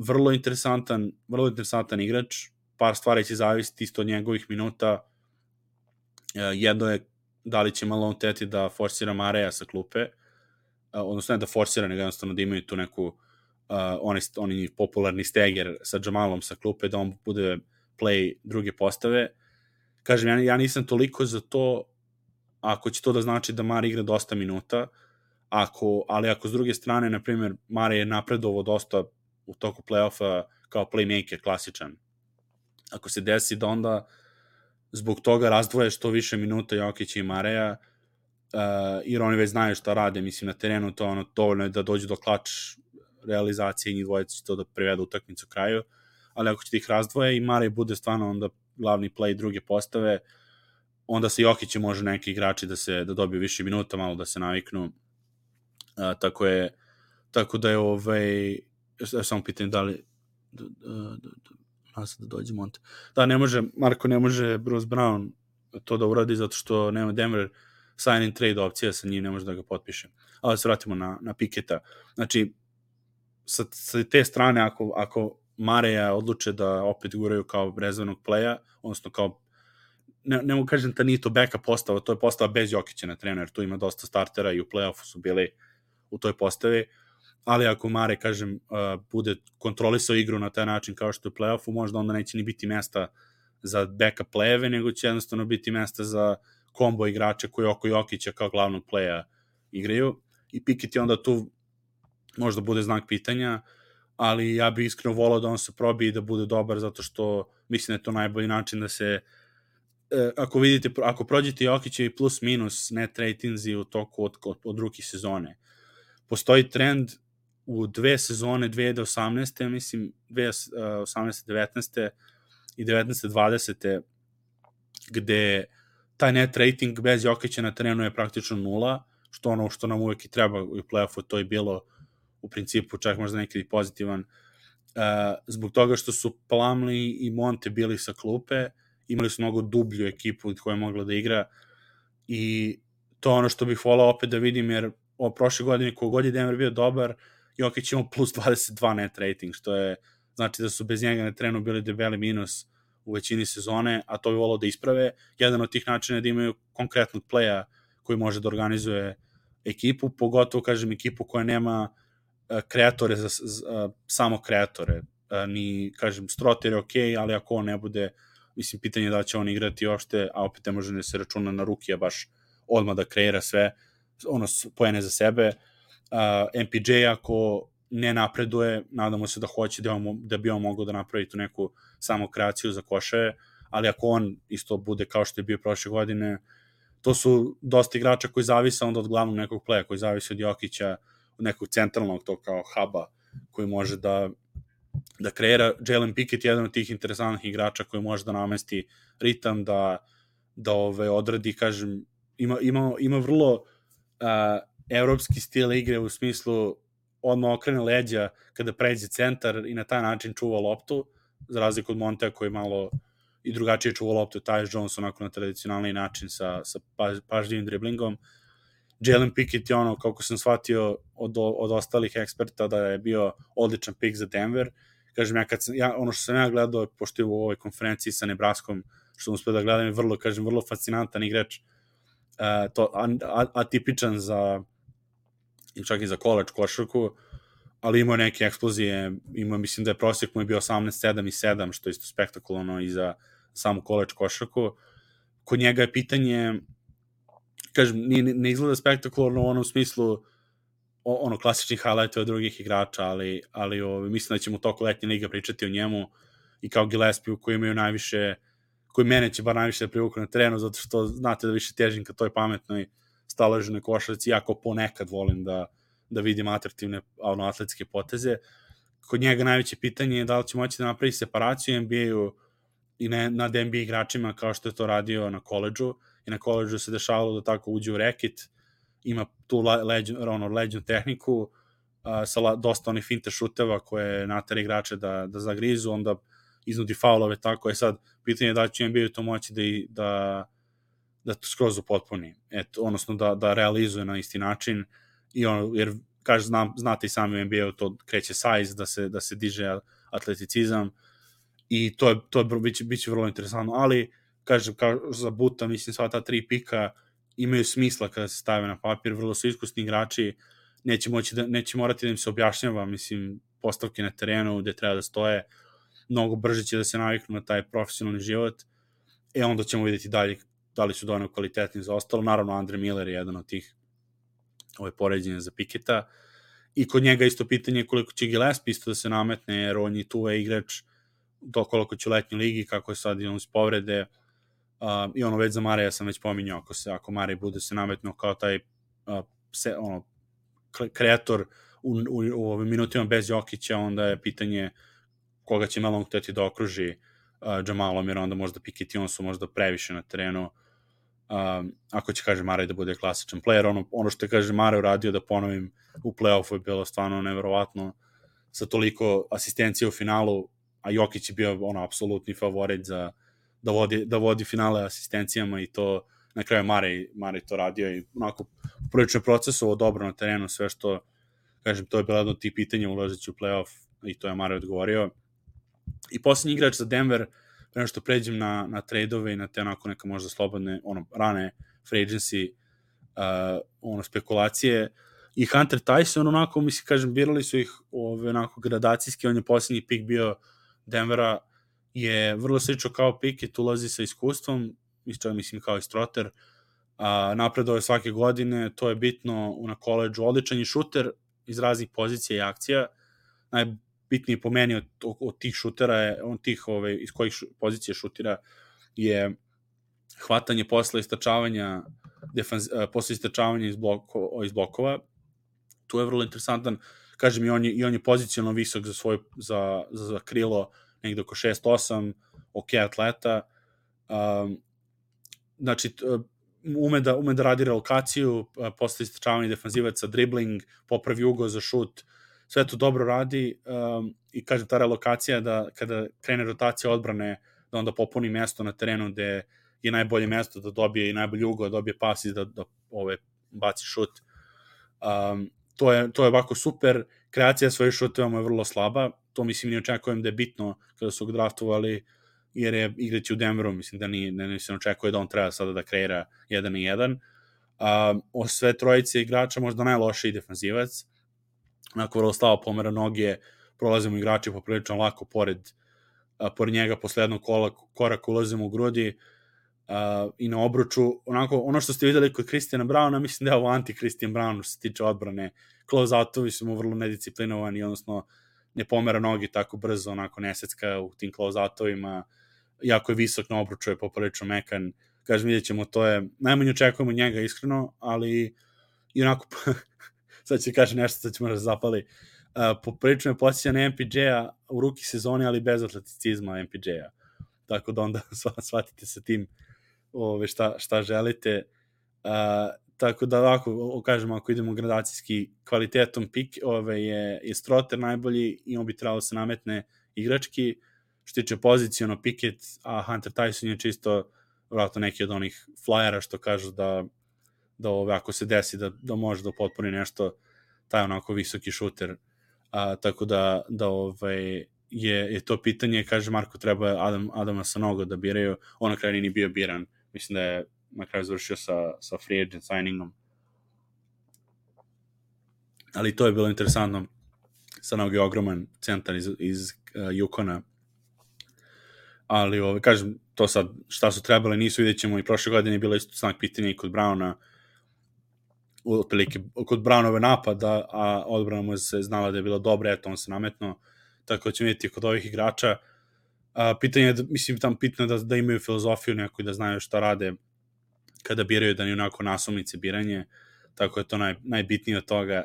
Speaker 1: vrlo interesantan, vrlo interesantan igrač, par stvari će zavisiti isto od njegovih minuta. Uh, jedno je da li će Malone teti da forsira Mareja sa klupe, uh, odnosno ne da forsira, nego jednostavno da imaju tu neku uh, oni, oni popularni steger sa Jamalom sa klupe, da on bude play druge postave. Kažem, ja, ja nisam toliko za to ako će to da znači da Mare igra dosta minuta, ako, ali ako s druge strane, na primjer, Mare je napredovo dosta u toku play-offa kao playmaker, klasičan. Ako se desi da onda zbog toga razdvoje što više minuta Jokića i Mareja, uh, jer oni već znaju šta rade, mislim, na terenu to ono, dovoljno je da dođu do klač realizacije i njih dvojica će to da privedu utakmicu kraju, ali ako će ih razdvoje i Marej bude stvarno onda glavni play druge postave, onda se Jokić može neki igrači da se da dobiju više minuta, malo da se naviknu. Uh, tako je tako da je ovaj ja samo pitam da li da, da, da, da, da dođe Monte. Da, ne može, Marko ne može Bruce Brown to da uradi zato što nema Denver sign and trade opcija sa njim, ne može da ga potpiše. Ali se vratimo na, na Picketa. Znači, sa, sa te strane, ako, ako Mareja odluče da opet guraju kao rezervnog playa, odnosno kao ne, ne mogu kažem da nije to backup postava, to je postava bez Jokića na trener, tu ima dosta startera i u play-offu su bili u toj postavi, ali ako Mare, kažem, uh, bude kontrolisao igru na taj način kao što je u play-offu, možda onda neće ni biti mesta za backup playeve, nego će jednostavno biti mesta za kombo igrače koji oko Jokića kao glavnog playa igraju i Pickett je onda tu možda bude znak pitanja, ali ja bih iskreno volao da on se probije i da bude dobar, zato što mislim da je to najbolji način da se ako vidite, ako prođete Jokićevi plus minus net ratingsi u toku od, od, od drugi sezone, postoji trend u dve sezone, dve hiljade osamnaeste mislim, dve hiljade osamnaeste devetnaeste i devetnaeste dvadesete gde taj net rating bez Jokića na terenu je praktično nula, što ono što nam uvek i treba u play-offu, to je bilo u principu čak možda nekada pozitivan, uh, zbog toga što su Plumlee i Monte bili sa klupe, imali su mnogo dublju ekipu koja je mogla da igra i to ono što bih volao opet da vidim, jer o prošle godine kogod je Denver bio dobar, Jokić imao plus dvadeset dva net rating, što je znači da su bez njega na terenu bili debeli minus u većini sezone, a to bi volao da isprave. Jedan od tih načina je da imaju konkretnog playa koji može da organizuje ekipu, pogotovo, kažem, ekipu koja nema uh, kreatore, za, za, uh, samo kreatore. Uh, ni, kažem, Stroter je okej, okay, ali ako on ne bude, mislim, pitanje je da će on igrati uopšte, a opet ne može ne se računa na rukija baš odmah da kreira sve, ono, pojene za sebe. Uh, M P J ako ne napreduje, nadamo se da hoće da, on, da bi on mogao da napravi tu neku samo kreaciju za košaje, ali ako on isto bude kao što je bio prošle godine, to su dosta igrača koji zavise onda od glavnog nekog playa, koji zavise od Jokića, od nekog centralnog to kao huba koji može da da kreira. Jalen Pickett je jedan od tih interesantnih igrača koji može da namesti ritam, da, da ove, odradi, kažem, ima, ima, ima vrlo uh, evropski stil igre u smislu odmah okrene leđa kada pređe centar i na taj način čuva loptu, za razliku od Montea koji malo i drugačije čuva loptu, Tyus Jones onako na tradicionalni način sa, sa pažljivim driblingom. Jalen Pickett je ono, kako sam shvatio od, od ostalih eksperta, da je bio odličan pick za Denver. Kažem, ja, kad sam, ja, ono što sam ja gledao, pošto je u ovoj konferenciji sa Nebraskom, što sam uspio da gledam, je vrlo, kažem, vrlo fascinantan igrač, uh, to, atipičan za, čak i za college košarku, ali imao neke eksplozije, imao, mislim da je prosjek mu je bio osamnaest sedam i sedam, što je isto spektakularno i za samu college košarku. Kod njega je pitanje, kažem, ne, ne izgleda spektakularno u onom smislu ono klasičnih highlightova drugih igrača, ali, ali o, mislim da ćemo toliko letnje liga pričati o njemu i kao Gillespie koji imaju najviše, koji mene će bar najviše da privuku na terenu, zato što znate da više težim ka toj pametnoj staloženoj košarci, jako ponekad volim da, da vidim atraktivne ono, atletske poteze. Kod njega najveće pitanje je da li će moći da napravi separaciju N B A-u i ne, nad N B A igračima kao što je to radio na koledžu, i na koledžu se dešavalo da tako uđe u reket, ima tu leđu, ono, leđu tehniku uh, sa la, dosta onih finte šuteva koje natera igrače da, da zagrizu, onda iznudi faulove, tako je sad pitanje da će N B A to moći da, da, da to skroz upotpuni, eto, odnosno da, da realizuje na isti način, i ono, jer kaže, znam, znate i sami u N B A-u to kreće size, da se, da se diže atleticizam, i to je, to je biće, biće vrlo interesantno, ali kažem, kao za Buta, mislim, sva ta tri pika imaju smisla kada se stave na papir, vrlo su iskusni igrači, neće, moći da, neće morati da im se objašnjava, mislim, postavke na terenu gde treba da stoje, mnogo brže će da se naviknu na taj profesionalni život, e onda ćemo vidjeti dalje da li su dovoljno kvalitetni za ostalo. Naravno, Andre Miller je jedan od tih ove poređenja za Piketa, i kod njega isto pitanje koliko će Gillespie isto da se nametne, jer on je tu igrač do koliko će u letnjoj ligi, kako je sad i on iz povrede, uh, i ono već za Mareja sam već pominjao, ako, se, ako Marej bude se nametno kao taj uh, se, ono, kreator u, u, u ovim minutima bez Jokića, onda je pitanje koga će Malone hteti da okruži uh, Jamalom, jer onda možda Piket i on su možda previše na terenu. Um, ako će, kaže, Marej da bude klasičan player, ono, ono što je, kaže, Marej uradio, da ponovim, u play-offu je bilo stvarno neverovatno, sa toliko asistencije u finalu, a Jokić je bio ono apsolutni favorit za da vodi, da vodi finale asistencijama, i to na kraju Marej, Marej to radio, i onako prilično procesovo dobro na terenu, sve što, kažem, to je bilo jedno od tih pitanja ulazeći u play-off, i to je Marej odgovorio. I posljednji igrač za Denver, prema što pređem na, na trade-ove i na te onako neka možda slobodne, ono, rane free agency, uh, ono, spekulacije, i Hunter Tyson, onako, mislim, kažem, birali su ih ove, onako, gradacijski, on je posljednji pik bio Denvera, je vrlo slično kao Piket, ulazi sa iskustvom, mislim, kao i Stroter, a, napredao je svake godine, to je bitno na koleđu, odličan je šuter iz raznih pozicija i akcija, najbitniji po meni od, od tih šutera je, on tih, ove, iz kojih šu, pozicija šutira, je hvatanje posle istračavanja, defenz, posle istračavanja iz, bloko, iz blokova, tu je vrlo interesantan, kažem, i on je, i on je pozicionalno visok za, svoj, za, za, za krilo, negde oko šest osam, ok atleta, um, znači, ume da, ume da radi relokaciju, posle istračavanja defanzivaca, dribling, popravi ugao za šut, sve to dobro radi, um, i kažem, ta relokacija, da kada krene rotacija odbrane, da onda popuni mesto na terenu gde je najbolje mesto da dobije i najbolji ugao, da dobije pas i da, da ove, baci šut. Um, to, je, to je ovako super, kreacija svojih šuteva je vrlo slaba, to mislim ne očekujem da je bitno kada su ga draftovali, jer je igraći u Denveru, mislim da ni, ne, ne se očekuje da on treba sada da kreira jedan i jedan. Um, o sve trojice igrača možda najlošiji defanzivac, onako vrlo slabo pomera noge, prolazimo igrači poprilično lako pored, uh, pored njega, posle jednog kola, koraka ulazimo u grudi, uh, i na obruču, onako, ono što ste videli kod Christiana Browna, mislim da je ovo anti-Christian Brown što se tiče odbrane, close-outovi su mu vrlo nedisciplinovani, odnosno ne pomera nogi tako brzo, onako nesecka u tim close-outovima, jako je visok na obruču, je poprilično mekan, kažem, vidjet ćemo, to je, najmanje očekujemo njega iskreno, ali i onako, sad ću kažem nešto, sad ćemo razapali, uh, poprilično je posjeća na M P J-a u ruki sezoni, ali bez atleticizma M P J-a, tako da onda shvatite sa tim ove, šta, šta želite, uh, tako da ovako, kažemo, ako idemo gradacijski kvalitetom pik, ove, je, je Stroter najbolji i on bi trebalo se nametne igrački, što tiče poziciono Piket, a Hunter Tyson je čisto vratno neki od onih flyera što kažu da, da ove, ako se desi da, da može da potpuni nešto, taj onako visoki šuter, a, tako da, da ove, je, je to pitanje, kaže Marko, treba Adam, Adama Sanogo da biraju, on na kraju nije bio biran, mislim da je na kraju završio sa, sa free agent signingom. Ali to je bilo interesantno. Sanogo je ogroman centar iz, iz uh, Yukona. Ali, ovaj, kažem, to sad, šta su trebali, nisu, vidjet ćemo, i prošle godine je bilo isto snak pitanja i kod Browna, otprilike, kod Brownove napada, a odbrana mu se znala da je bila dobra, eto, on se nametno, tako ćemo vidjeti kod ovih igrača. A, pitanje je, mislim, tam pitno da, da imaju filozofiju neku i da znaju šta rade kada biraju, da ni onako nasumice biranje, tako je to naj, najbitnije od toga.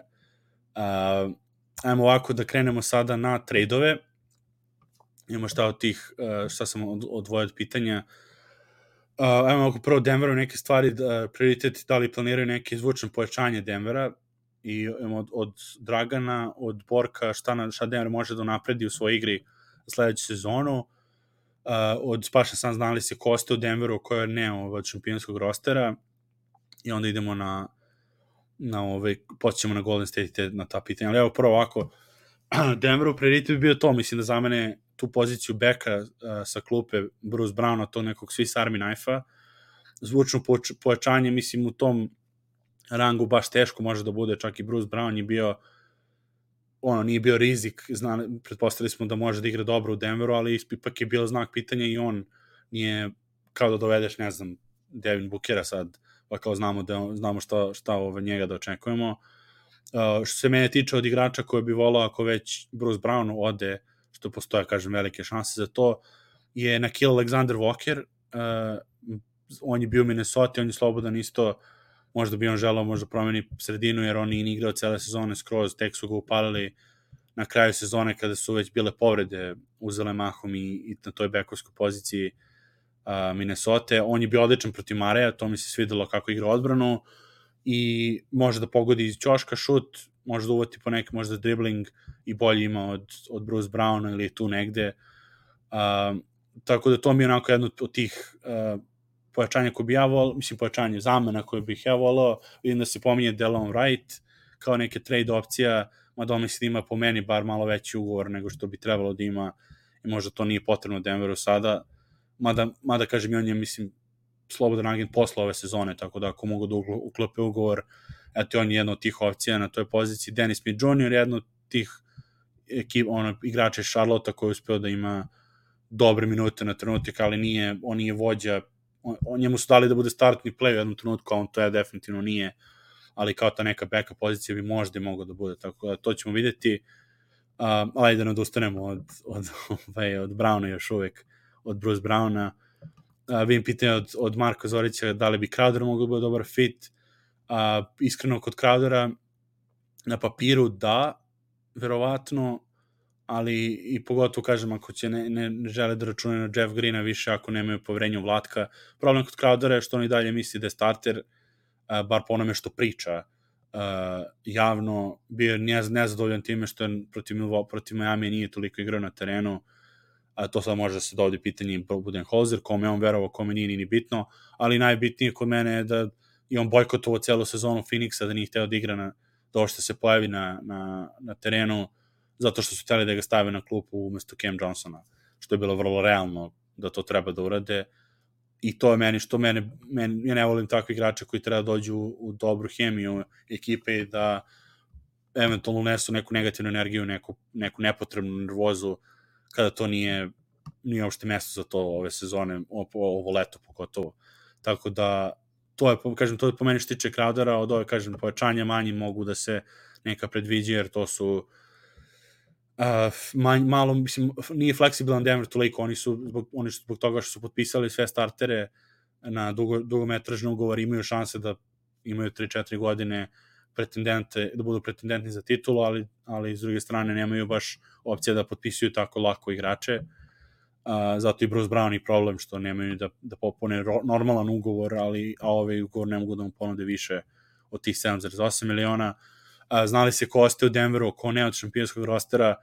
Speaker 1: Uh, ajmo ovako da krenemo sada na trade-ove. Imamo šta od tih, uh, šta sam od, odvojio od pitanja. Uh, ajmo ovako prvo Denveru neke stvari, da, prioriteti, da li planiraju neke izvučne pojačanje Denvera, i imamo od, od Dragana, od Borka, šta, na, šta Denver može da napredi u svojoj igri sledeću sezonu. od Spaša sam znali se ko ostaje u Denveru, ko je ne od šampionskog rostera, i onda idemo na na ovaj, počnemo na Golden State na ta pitanja. Ali evo prvo ovako, Denveru prioritet bi bio to, mislim da za mene tu poziciju beka uh, sa klupe Bruce Browna, to nekog Swiss Army knife-a, zvučno pojačanje, mislim u tom rangu baš teško može da bude, čak i Bruce Brown je bio, ono, nije bio rizik, zna, pretpostavili smo da može da igra dobro u Denveru, ali ipak je bilo znak pitanja i on nije, kao da dovedeš, ne znam, Devin Bookera sad, pa kao znamo, da, znamo šta, šta ove njega da očekujemo. Uh, što se mene tiče od igrača koje bi volao ako već Bruce Brown ode, što postoje, kažem, velike šanse za to, je Nickeil Alexander Walker. Uh, on je bio u Minnesota, on je slobodan isto, možda bi on želao možda promeni sredinu, jer on nije igrao cele sezone skroz, tek su ga upalili na kraju sezone kada su već bile povrede uzele mahom i, i na toj bekovskoj poziciji uh, Minnesota. On je bio odličan protiv Mareja, to mi se svidelo kako igra odbranu i može da pogodi iz ćoška šut, može da uvati po neki možda dribbling i bolje ima od, od Bruce Browna ili tu negde. Uh, tako da to mi je onako jedno od tih uh, pojačanja koje bi ja volao, mislim pojačanje zamena koje bih ja volao, vidim da se pominje Delon Wright kao neke trade opcija, mada mislim da ima po meni bar malo veći ugovor nego što bi trebalo da ima i možda to nije potrebno Denveru sada, mada, mada kažem i on je, mislim, slobodan agent posle ove sezone, tako da ako mogu da uklope ugovor, eto on je jedna od tih opcija na toj poziciji. Dennis Smith junior je jedna od tih ekip, ono, igrača iz Charlotte koji je uspeo da ima dobre minute na trenutak, ali nije, on nije vođa, on, on njemu su dali da bude startni play u jednom trenutku, a on to je definitivno nije, ali kao ta neka backup pozicija bi možda mogla da bude, tako da to ćemo videti. Uh, ali da ne odustanemo od, od, od, od Browna još uvek, od Bruce Browna. Uh, vidim pitanje od, od Marka Zorića da li bi Crowder mogao da bude dobar fit. Uh, iskreno kod Crowdera na papiru da, verovatno, ali i pogotovo kažem ako će ne, ne, ne žele da računaju na Jeff Greena više ako nemaju poverenja u Vlatka. Problem kod Crowdera je što on i dalje misli da je starter, uh, bar po onome što priča uh, javno, bio nez, nezadovoljan time što je protiv, protiv Miami nije toliko igrao na terenu, a to sad može da se dovodi pitanje Budenholzer, kome on verovao, kome nije ni bitno, ali najbitnije kod mene je da i on bojkotovao celu sezonu Phoenixa, da nije hteo da igra na, da ovo što se pojavi na, na, na terenu, zato što su hteli da ga stave na klupu umesto Cam Johnsona, što je bilo vrlo realno da to treba da urade. I to je meni, što mene, meni ja ne volim takve igrače koji treba da dođu u, u dobru hemiju ekipe i da eventualno unesu neku negativnu energiju, neku, neku nepotrebnu nervozu, kada to nije, nije uopšte mesto za to ove sezone, ovo, ovo leto pogotovo. Tako da, to je, kažem, to je po meni što tiče Crowdera, od ove, kažem, pojačanja manji mogu da se neka predviđa, jer to su Uh, manj, malo, mislim, nije fleksibilan Denver toliko, oni su zbog, oni su zbog toga što su potpisali sve startere na dugo, dugometražne ugovor, imaju šanse da imaju tri četiri godine pretendente, da budu pretendentni za titulu, ali, ali s druge strane nemaju baš opcije da potpisuju tako lako igrače, uh, zato i Bruce Brown je problem što nemaju da, da popune ro, normalan ugovor, ali a ovaj ugovor ne mogu da mu ponude više od tih sedam zarez osam miliona. Uh, znali se ko ostaje u Denveru, ko ne od šampionskog rostera,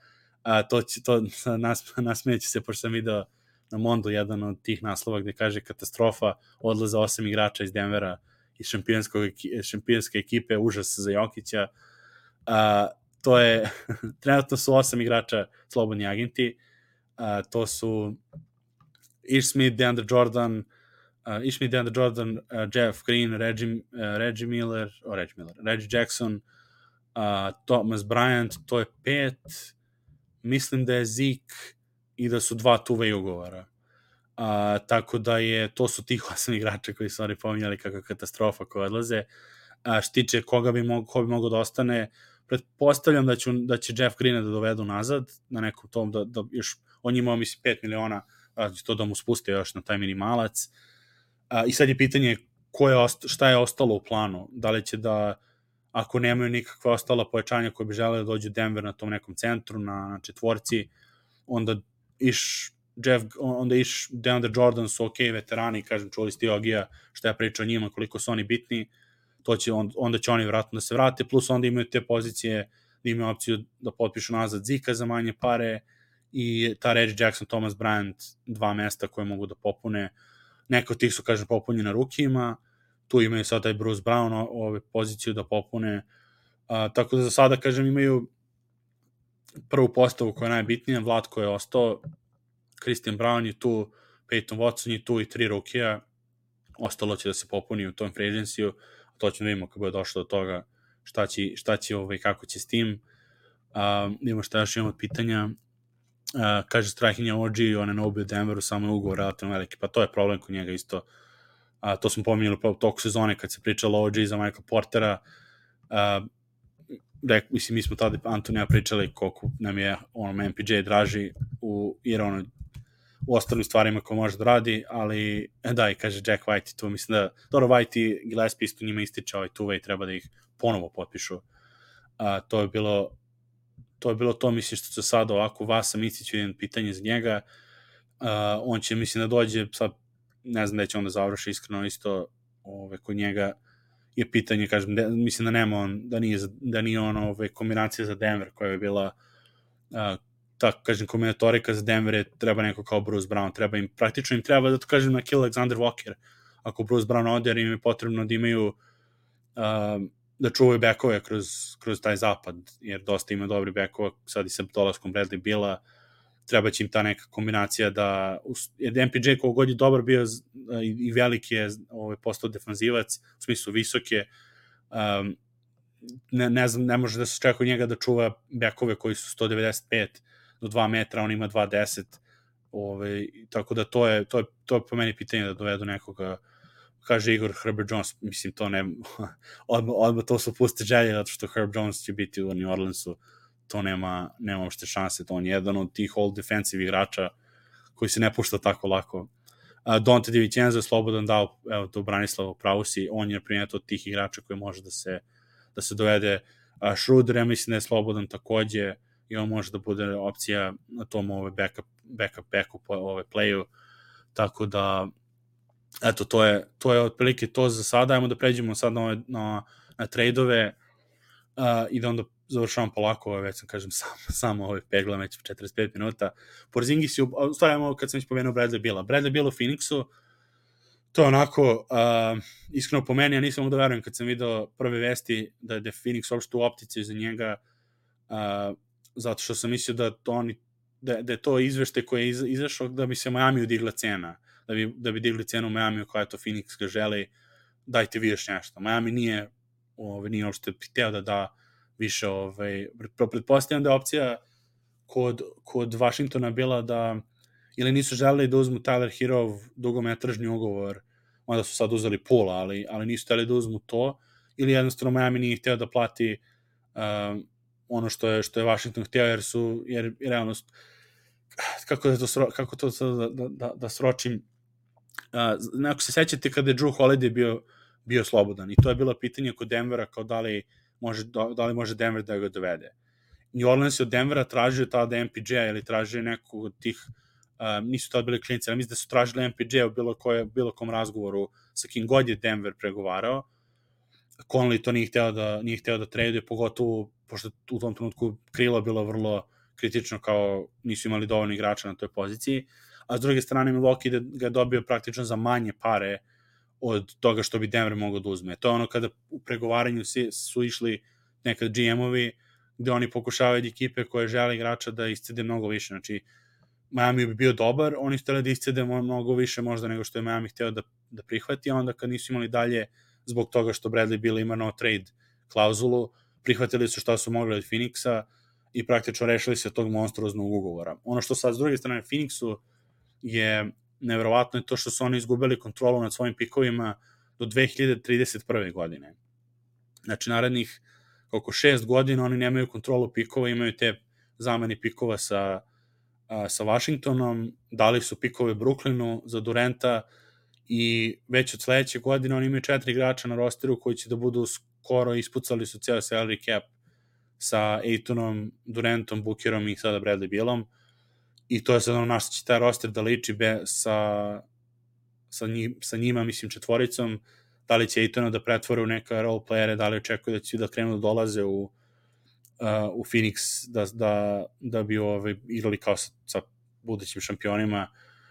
Speaker 1: uh, to, će, to nas, nasmeće se, pošto sam video na Mondu jedan od tih naslova gde kaže katastrofa, odlaza osam igrača iz Denvera iz šampionske ekipe, užas za Jokića. Uh, to je, trenutno su osam igrača slobodni agenti, uh, to su Ish Smith, DeAndre Jordan, uh, Ish Smith, DeAndre Jordan, uh, Jeff Green, Reggie, uh, Reggie Miller, oh, Reggie Miller, Reggie Jackson, Uh, Thomas Bryant, to je pet, mislim da je Zeke i da su dva tuve ugovora. Uh, tako da je, to su tih osam igrača koji su oni pominjali kakva katastrofa koja odlaze. Uh, što tiče koga bi mogo, ko bi mogo da ostane, pretpostavljam da, ću, da će Jeff Greena da dovedu nazad, na nekom tom, da, da još, on imao mislim pet miliona, uh, to da mu spuste još na taj minimalac. Uh, I sad je pitanje ko je osta, šta je ostalo u planu, da li će da ako nemaju nikakva ostala pojačanja koje bi žele da dođu Denver na tom nekom centru, na, na četvorci, onda iš Jeff, onda iš DeAndre Jordan su ok, veterani, kažem, čuli Steve Agija, što ja pričam o njima, koliko su oni bitni, to će, on, onda će oni vratno da se vrate, plus onda imaju te pozicije da imaju opciju da potpišu nazad Zika za manje pare i ta Reggie Jackson, Thomas Bryant, dva mesta koje mogu da popune. Neko od tih su, kažem, popunjena rukijima, tu imaju sad taj Bruce Brown ove poziciju da popune, a, tako da za sada, kažem, imaju prvu postavu koja je najbitnija, Vlatko je ostao, Christian Brown je tu, Peyton Watson je tu i tri rukija, ostalo će da se popuni u tom free agency-u, to ćemo da vidimo kako bude došlo do toga, šta će, šta će ovaj, kako će s tim. Uh, imamo šta još imamo od pitanja. Uh, kaže Strahinja O G, on je na ubio Denveru, samo je ugovor relativno veliki, pa to je problem kod njega isto. Uh, to smo pominjali u toku sezone kad se pričalo O G za Michael Portera. Uh, Rek, mislim, mi smo tada Antonija pričali koliko nam je on M P J draži u, jer ono u ostalim stvarima koje može da radi, ali da, i kaže Jack White tu, mislim da dobro, White i Gillespie isto njima ističe ovaj two-way, treba da ih ponovo potpišu. Uh, to je bilo to je bilo to, mislim, što se sad ovako vas sam istiću jedan pitanje za njega. Uh, on će, mislim, da dođe sad, ne znam da će on da završi iskreno isto ove, kod njega je pitanje, kažem, de, mislim da nema on, da nije, da nije on ove, kombinacija za Denver koja je bila uh, tako, kažem, kombinatorika za Denver je treba neko kao Bruce Brown, treba im, praktično im treba da to kažem na kill Alexander Walker, ako Bruce Brown ode, jer im je potrebno da imaju uh, da čuvaju bekove kroz, kroz taj zapad, jer dosta ima dobri bekova, sad i sa dolaskom Bradley Billa, treba će im ta neka kombinacija da, jer M P J koliko god je dobar bio i, i veliki je ovaj, postao defanzivac, u smislu visoke, um, ne, ne znam, ne može da se čeka od njega da čuva bekove koji su sto devedeset pet do dva metra, on ima dva deset, ovaj, tako da to je, to je, to je po meni pitanje da dovedu nekoga, kaže Igor Herbert Jones, mislim to ne, odmah, odmah to su puste želje, zato što Herb Jones će biti u New Orleansu, to nema, nema uopšte šanse, to on je jedan od tih all defensive igrača koji se ne pušta tako lako. Uh, Donte DiVincenzo je slobodan dao, evo to Branislav pravu si, on je primjer od tih igrača koji može da se, da se dovede. Uh, Schroeder, ja mislim da je slobodan takođe i on može da bude opcija na tom ove backup, backup backup ove playu, tako da eto, to je, to je otprilike to za sada. Ajmo da pređemo sad na, ove, na, na trade-ove uh, i da onda završavam polako, već sam kažem sam, samo ovaj peglam već četrdeset pet minuta. Porzingis je, u stvari kad sam već pomenuo Bradley Billa. Bradley Bill u Phoenixu, to je onako, uh, iskreno po meni, ja nisam mogu da verujem kad sam video prve vesti da je Phoenix uopšte u optici za njega, uh, zato što sam mislio da, to oni, da, da je to izvešte koje je iz, izašao da bi se Miami udigla cena, da bi, da bi digli cenu u Miami koja je to Phoenix ga želi, dajte vi još nešto. Miami nije, ove, nije uopšte hteo da da više, ovaj, pretpostavljam da je opcija kod, kod Washingtona bila da ili nisu želeli da uzmu Tyler Herov dugometražni ugovor, onda su sad uzeli Pula, ali, ali nisu hteli da uzmu to, ili jednostavno Miami nije hteo da plati um, ono što je, što je Washington hteo, jer su, jer realno, kako, da to, sro, kako to da, da, da, da sročim, uh, ako se sećate kada je Drew Holiday bio, bio slobodan, i to je bilo pitanje kod Denvera, kao da li može, da li može Denver da ga dovede. New Orleans je od Denvera tražio tada M P J-a ili tražio nekog od tih, uh, nisu tada bili klinici, ali mislim da su tražili M P J-a u bilo, koje, bilo kom razgovoru sa kim god je Denver pregovarao. Conley to nije hteo da, nije hteo da traduje, pogotovo pošto u tom trenutku krilo bilo vrlo kritično, kao nisu imali dovoljno igrača na toj poziciji, a s druge strane Milwaukee ga je dobio praktično za manje pare od toga što bi Denver mogao da uzme. To je ono kada u pregovaranju su išli nekad G M-ovi gde oni pokušavaju ekipe koje žele igrača da iscede mnogo više. Znači, Miami bi bio dobar, oni su hteli da iscede mnogo više možda nego što je Miami hteo da, da prihvati, a onda kad nisu imali dalje zbog toga što Bradley Beal ima no trade klauzulu, prihvatili su šta su mogli od Phoenixa i praktično rešili se tog monstruoznog ugovora. Ono što sad s druge strane Phoenixu je neverovatno je to što su oni izgubili kontrolu nad svojim pikovima do dve hiljade trideset prve godine. Znači, narednih oko šest godina oni nemaju kontrolu pikova, imaju te zamene pikova sa, a, sa Washingtonom, dali su pikove Brooklynu za Duranta i već od sledeće godine oni imaju četiri igrača na rosteru koji će da budu skoro ispucali su cijel salary cap sa Aytonom, Durantom, Bookerom i sada Bradley Bealom. I to je sad ono naš će taj roster da liči be, sa, sa, njim, sa njima, mislim, četvoricom, da li će Aytona da pretvore u neka role playere, da li očekuje da će da krenu da dolaze u, uh, u Phoenix da, da, da bi ovaj, igrali kao sa, sa budućim šampionima,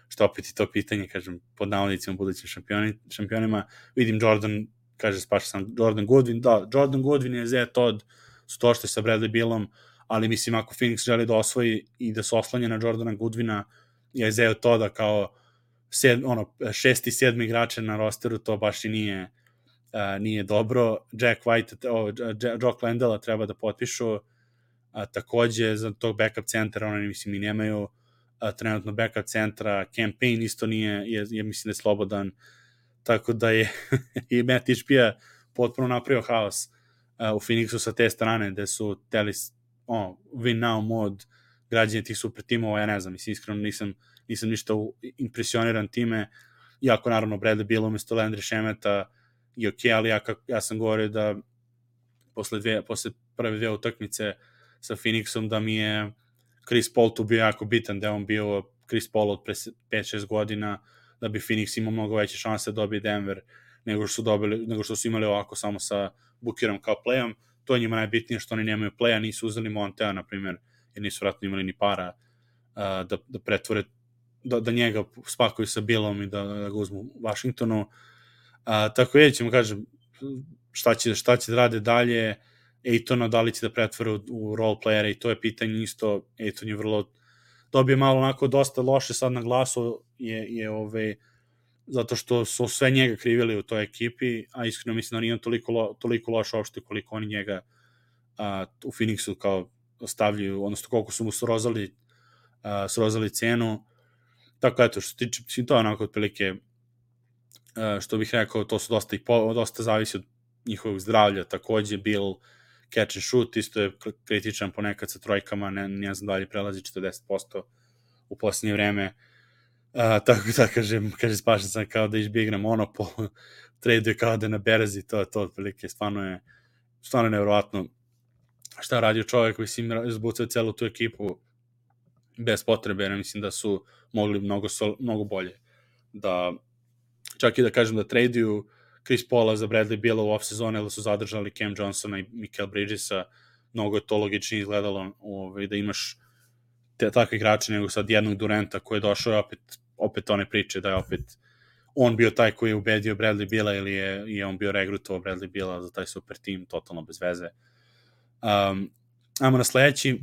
Speaker 1: što opet i to pitanje, kažem, pod navodnicima budućim šampioni, šampionima. Vidim Jordan, kaže, spaša sam Jordan Goodwin, da, Jordan Goodwin je Zé Todd, su to što je sa Bradley Bealom, ali mislim, ako Phoenix želi da osvoji i da se oslanja na Jordana Goodwina, je Zé Todda kao sed, ono, šesti, sedmi igrače na rosteru, to baš i nije, uh, nije dobro. Jack White, oh, Jock Landela treba da potpišu, a, takođe za tog backup centra, oni mislim i nemaju a, trenutno backup centra, campaign isto nije, je, je mislim da je slobodan, tako da je i Matt Ishbia potpuno napravio haos a, u Phoenixu sa te strane, gde su teli oh, win now mod, građanje tih super timova, ja ne znam, mislim, iskreno nisam, nisam ništa impresioniran time, iako naravno Bradley Beal umesto Landry Šemeta i ok, ali ja, ja sam govorio da posle, dve, posle prve dve utakmice sa Phoenixom da mi je Chris Paul tu bio jako bitan, da je on bio Chris Paul od pre pet šest godina, da bi Phoenix imao mnogo veće šanse da dobije Denver nego što su, dobili, nego što su imali ovako samo sa Bookerom kao playom. To je njima najbitnije što oni nemaju playa, nisu uzeli Montea, na primjer, jer nisu vratno imali ni para uh, da, da pretvore, da, da njega spakuju sa Billom i da, da ga uzmu u Washingtonu. Uh, tako je, ćemo kažem, šta će, šta će da rade dalje, Aytona da li će da pretvore u, u role playera i to je pitanje isto. Ayton je vrlo dobio malo onako dosta loše sad na glasu je, je ove, zato što su sve njega krivili u toj ekipi, a iskreno mislim da nije on toliko, lo, toliko loš uopšte koliko oni njega a, u Phoenixu kao stavljaju, odnosno koliko su mu srozali, a, srozali cenu. Tako eto, što tiče, mislim, to je onako otprilike, a, što bih rekao, to su dosta, i po, dosta zavisi od njihovog zdravlja, takođe Bill catch and shoot, isto je kritičan ponekad sa trojkama, ne, ne znam da li prelazi četrdeset posto u posljednje vreme, uh, tako da kažem, kaže spašan sam kao da izbjegne monopol, traduje kao da na berzi, to je to otprilike, stvarno je, stvarno je nevjerovatno šta radio čovjek koji si izbucao celu tu ekipu bez potrebe, jer mislim da su mogli mnogo, mnogo bolje da, čak i da kažem da traduju Chris Paula za Bradley Beala u off-sezone, ili su zadržali Cam Johnsona i Michael Bridgesa, mnogo je to logičnije izgledalo ovaj, da imaš te takve igrače nego sad jednog Duranta koji je došao opet, opet one priče da je opet on bio taj koji je ubedio Bradley Beala ili je, je on bio regrutovao Bradley Beala za taj super tim, totalno bez veze. Um, ajmo na sledeći,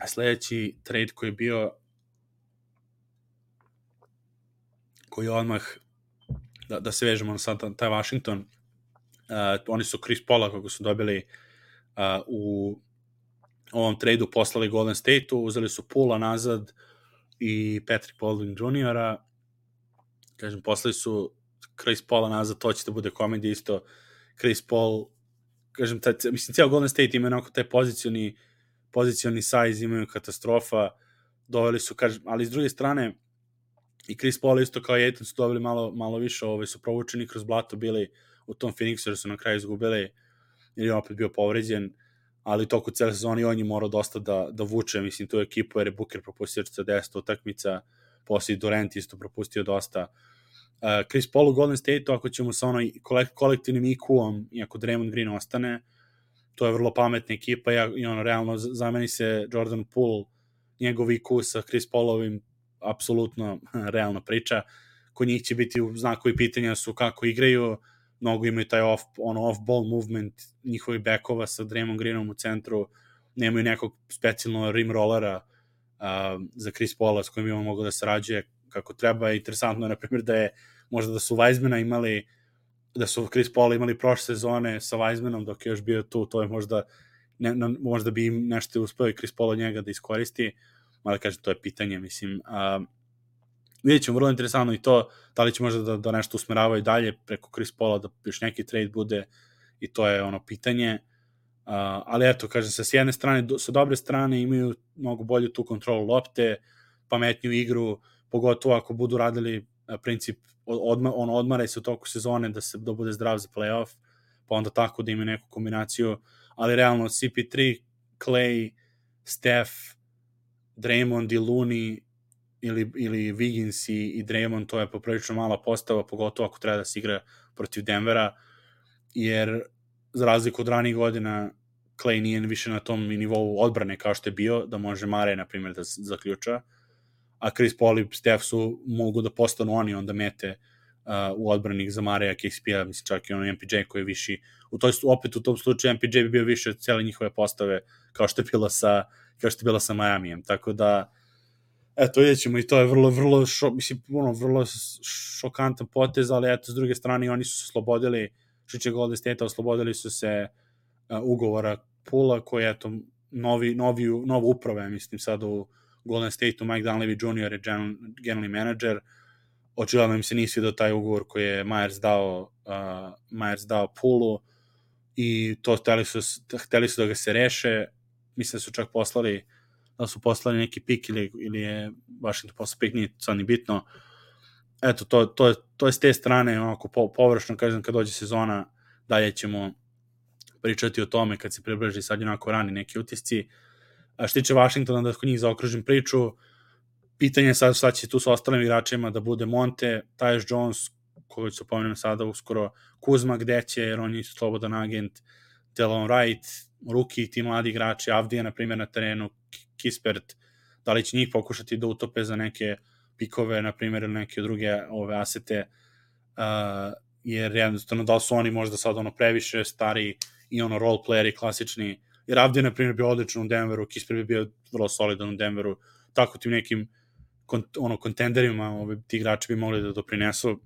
Speaker 1: sledeći trade koji je bio, koji je odmah Da, da se vežemo na sad taj Washington, uh, oni su Chris Paula kako su dobili uh, u ovom tradu poslali Golden State-u, uzeli su Poola nazad i Patrick Baldwin juniora, kažem, poslali su Chris Paula nazad, to će da bude komedija isto, Chris Paul, kažem, taj, mislim, cijel Golden State ima onako taj pozicioni, pozicioni size, imaju katastrofa, doveli su, kažem, ali s druge strane, i Chris Paul isto kao i Ayton su dobili malo, malo više, ovaj, su provučeni kroz blato bili u tom Phoenixu, jer su na kraju izgubili, jer je opet bio povređen, ali toku cijele sezoni on je morao dosta da, da vuče, mislim, tu ekipu, jer je Booker propustio četrdeset utakmica, poslije Durant isto propustio dosta. Uh, Chris Paul u Golden State, ako ćemo sa onoj kolektivnim I Q-om, i ako Draymond Green ostane, to je vrlo pametna ekipa i ono, realno zameni se Jordan Poole, njegov I Q sa Chris Paulovim, apsolutno realna priča. Kod njih će biti u znakovi pitanja su kako igraju, mnogo imaju taj off, ono off-ball movement njihovi backova sa Draymond Greenom u centru, nemaju nekog specijalno rim rollera uh, za Chris Paula s kojim imamo mogu da sarađuje kako treba. Interesantno je, na primjer, da je možda da su Weizmana imali, da su Chris Paula imali prošle sezone sa Weizmanom dok je još bio tu, to je možda, ne, ne, možda bi im nešto uspeo i Chris Paul od njega da iskoristi, ali kažem, to je pitanje, mislim. Uh, vidjet ćemo, vrlo interesantno i to, da li će možda da, da nešto usmeravaju dalje preko Chris Paula, da još neki trade bude, i to je ono pitanje. Uh, ali eto, kažem se, s jedne strane, do, sa dobre strane imaju mnogo bolju tu kontrolu lopte, pametniju igru, pogotovo ako budu radili uh, princip odma, on odmaraj se u toku sezone da se da bude zdrav za playoff, pa onda tako da ima neku kombinaciju, ali realno C P tri, Clay, Steph, Draymond i Looney ili, ili Wiggins i, i Draymond, to je poprilično mala postava, pogotovo ako treba da se igra protiv Denvera, jer za razliku od ranih godina Clay nije više na tom nivou odbrane kao što je bio, da može Mare, na primjer, da zaključa, a Chris Paul i Steph su mogu da postanu oni onda mete uh, u odbranih za Mareja, K C P-a, mislim čak i ono M P J koji je viši, u toj, opet u tom slučaju M P J bi bio više od cijele njihove postave kao što je bila sa, kao što je bila sa Miamijem, tako da eto, vidjet ćemo i to je vrlo, vrlo, šo, mislim, ono, vrlo šokantan potez, ali eto, s druge strane oni su se oslobodili, što će Golden State, oslobodili su se uh, ugovora Pula, koji je, eto, novi, novi, novo uprave, mislim, sad u Golden State-u, Mike Dunleavy junior je general, generalni manager, očigledno im se nisi do taj ugovor koji je Myers dao, uh, Myers dao Pulu, i to hteli su, hteli su da ga se reše, mislim da su čak poslali da su poslali neki pik ili, ili je Washington poslao pik, nije sad ni bitno. Eto, to, to, je, to je s te strane, onako, po, površno, kažem, kad dođe sezona, dalje ćemo pričati o tome kad se približi, sad je onako rani neki utisci. A što tiče Washingtona, da kod njih zaokružim priču, pitanje je sad šta će tu sa ostalim igračima da bude Monte, Tyus Jones, koga ću pomenuti sada uskoro, Kuzma gde će, jer on je slobodan agent, Delon Wright, Ruki, ti mladi igrači, Avdija, na primjer, na terenu, Kispert, da li će njih pokušati da utope za neke pikove, na primjer, ili neke druge ove asete, uh, jer jednostavno da li su oni možda sad ono previše stari i ono role playeri klasični, jer Avdija, na primjer, bio odličan u Denveru, Kispert bi bio vrlo solidan u Denveru, tako tim nekim kont, ono, kontenderima ove, ti igrači bi mogli da doprinesu,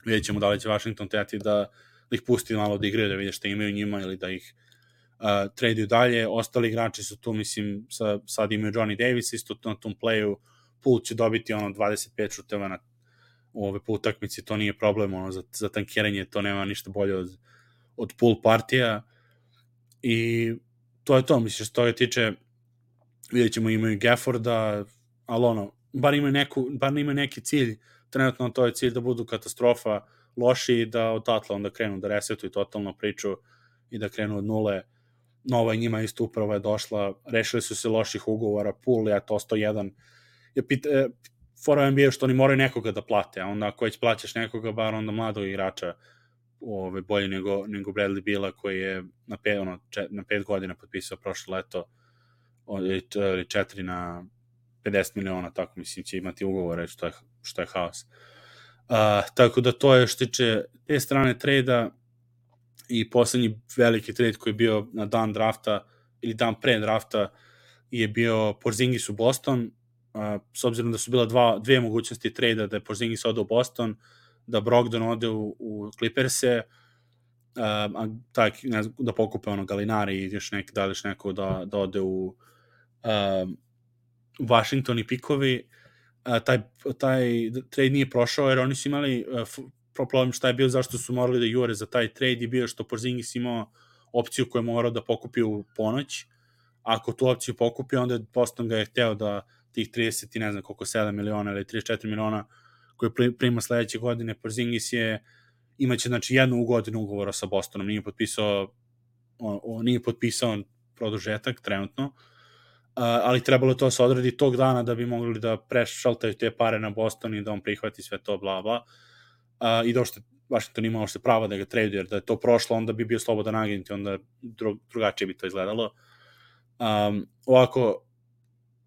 Speaker 1: vidjet ćemo da li će Washington teti da, da ih pusti malo da igraju, da vide šta imaju njima ili da ih Uh, traduju dalje, ostali igrači su tu, mislim, sa, sad imaju Johnny Davis isto na tom playu, Poole će dobiti ono dvadeset pet šuteva na ove po utakmici, to nije problem, ono, za, za tankiranje to nema ništa bolje od, od Poole partija, i to je to, mislim, što toga tiče, vidjet ćemo, imaju Gafforda, ali ono, bar imaju, neku, bar imaju neki cilj, trenutno to je cilj da budu katastrofa, loši i da odatle onda krenu da resetuju totalno priču i da krenu od nule. Nova njima isto upravo je došla, rešili su se loših ugovora, Poole je to sto jedan. Je pita, e, fora N B A što oni moraju nekoga da plate, a onda ako već plaćaš nekoga, bar onda mladog igrača, ove, bolje nego, nego Bradley Beala koji je na pet, ono, čet, na pet godina potpisao prošlo leto, ili četiri na pedeset miliona, tako mislim će imati ugovore, što je, što je haos. Uh, tako da to je što tiče te strane trejda. I poslednji veliki trade koji je bio na dan drafta ili dan pre drafta je bio Porzingis u Boston, uh, s obzirom da su bila dva, dve mogućnosti trejda, da je Porzingis ode u Boston, da Brogdon ode u, u Clippers-e, uh, a tak, ne znam, da pokupe ono Galinari i još neki, da li još neko da, da ode u uh, Washington i pikovi. Uh, taj, taj trade nije prošao jer oni su imali uh, problem šta je bio, zašto su morali da jure za taj trade je bio što Porzingis imao opciju koju je morao da pokupi u ponoć. Ako tu opciju pokupi, onda Boston ga je hteo da tih trideset i ne znam koliko, sedam miliona ili trideset četiri miliona koje prima sledeće godine, Porzingis je imaće znači jednu godinu ugovora sa Bostonom, nije potpisao on, on nije potpisao produžetak trenutno, uh, ali trebalo to se odredi tog dana da bi mogli da prešaltaju te pare na Boston i da on prihvati sve to, bla bla. Uh, i došto Washington imao se prava da ga trade, jer da je to prošlo, onda bi bio slobodan agent i onda dru, drugačije bi to izgledalo. Um, ovako,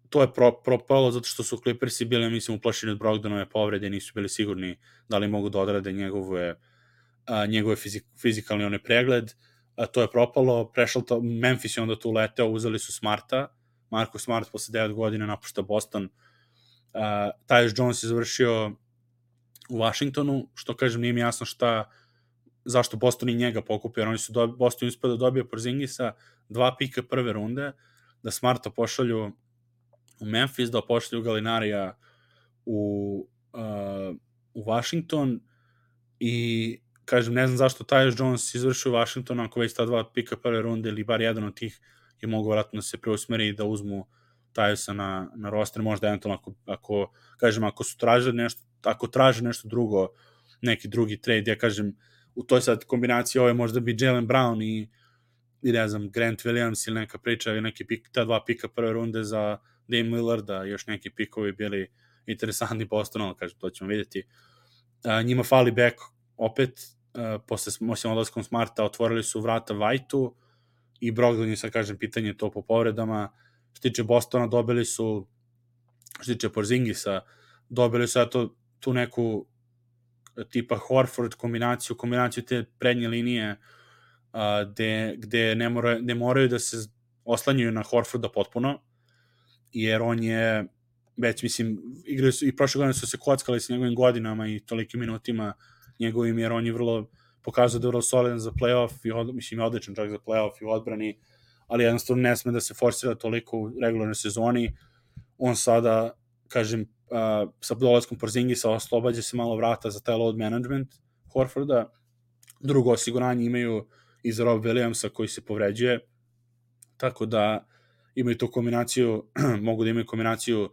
Speaker 1: to je pro, propalo zato što su Clippersi bili, mislim, uplašeni od Brogdonove povrede, nisu bili sigurni da li mogu da odrade njegove, uh, njegove fizik, fizikalni one pregled. Uh, to je propalo, prešlo to, Memphis je onda tu leteo, uzeli su Smarta, Marko Smart posle devet godina napušta Boston. Uh, Tyus Jones je završio u Washingtonu, što kažem, nije mi jasno šta, zašto Boston i njega pokupio, jer oni su do, Boston uspio da dobije Porzingisa, dva pika prve runde, da Smarta pošalju u Memphis, da pošalju Galinarija u, uh, u Washington, i kažem, ne znam zašto Tyus Jones izvršio u Washington, ako već ta dva pika prve runde, ili bar jedan od tih je mogu vratno da se preusmeri i da uzmu Tyusa na, na roster, možda eventualno ako, ako, kažem, ako su tražili nešto, ako traže nešto drugo, neki drugi trade, ja kažem, u toj sad kombinaciji ove možda bi Jaylen Brown i, i ne znam, Grant Williams ili neka priča, ili neki pik, ta dva pika prve runde za Dame Lillarda, još neki pikovi bili interesantni Bostonu, kažem, to ćemo vidjeti. A, njima fali back opet, a, posle, osim odlaskom Smarta, otvorili su vrata White-u i Brogdon je sad, kažem, pitanje to po povredama. Što tiče Bostona, dobili su, što tiče Porzingisa, dobili su eto tu neku tipa Horford kombinaciju, kombinaciju te prednje linije, a, gde, gde ne, mora, ne moraju da se oslanjaju na Horforda potpuno, jer on je već, mislim, igrali su, i prošle godine su se kockali s njegovim godinama i tolikim minutima njegovim, jer on je vrlo pokazao da je vrlo solidan za playoff i od, mislim, je odličan čak za playoff i u odbrani, ali jednostavno ne sme da se forsira toliko u regularnoj sezoni. On sada, kažem, uh, sa dolaskom Porzingisa oslobađa se malo vrata za taj load management Horforda. Drugo osiguranje imaju i za Rob Williamsa koji se povređuje, tako da imaju tu kombinaciju, mogu da imaju kombinaciju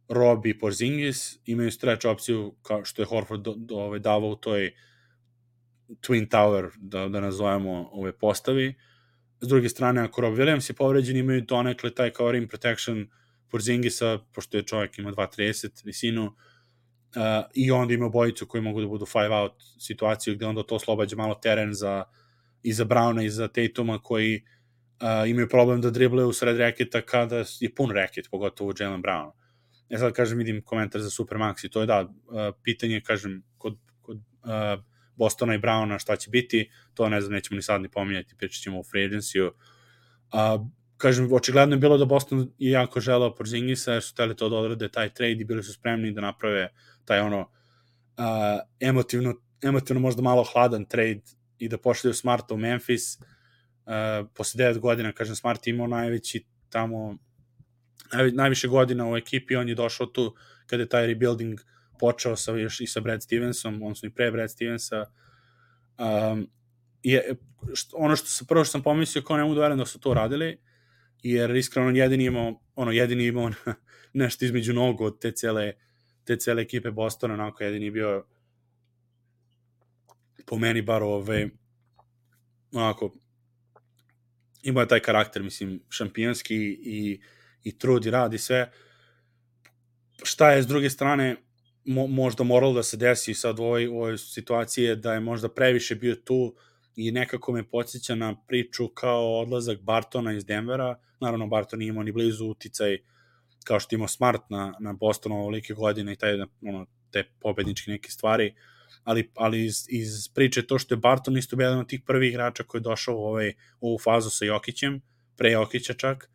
Speaker 1: Rob i Porzingis, imaju stretch opciju kao što je Horford do, do, ove, davao u toj Twin Tower, da, da nazovemo ove postavi. S druge strane, ako Rob Williams je povređen, imaju donekle taj kao rim protection Porzingisa, pošto je čovjek ima dva trideset visinu, uh, i onda ima bojicu koji mogu da budu five out situaciju, gde onda to oslobađa malo teren za, i za Browna i za Tatuma, koji uh, imaju problem da driblaju u sred reketa kada je pun reket, pogotovo Jaylen Brown. Ja sad, kažem, vidim komentar za Supermax i to je da, uh, pitanje, kažem, kod, kod uh, Bostona i Browna šta će biti, to ne znam, nećemo ni sad ni pominjati, pričat ćemo u free agency-u. Uh, kažem, očigledno je bilo da Boston je jako želeo Porzingisa, jer su teli to da odrade taj trade i bili su spremni da naprave taj ono uh, emotivno, emotivno možda malo hladan trade i da pošalju Smarta u Memphis. Uh, posle devet godina, kažem, Smart imao najveći tamo, naj, najviše godina u ekipi, on je došao tu kada je taj rebuilding počeo sa, još i sa Brad Stevensom, odnosno i pre Brad Stevensa. Um, je, što, ono što sam, prvo što sam pomislio, kao ne mogu da verujem da su to radili, jer iskreno jedini imao, ono, jedini imao nešto između nogu od te cele, te cele ekipe Bostona, onako jedini bio po meni bar ove, onako, imao je taj karakter, mislim, šampionski i, i trud i rad i sve. Šta je s druge strane mo, možda moralo da se desi sad u ovoj, u ovoj situaciji, da je možda previše bio tu i nekako me podsjeća na priču kao odlazak Bartona iz Denvera. Naravno, Barton nije imao ni blizu uticaj kao što imao Smart na, na Bostonu ovolike godine i taj, ono, te pobedničke neke stvari, ali, ali iz, iz priče to što je Barton isto bio jedan od tih prvih igrača koji je došao u, ovaj, u ovu fazu sa Jokićem, pre Jokića čak,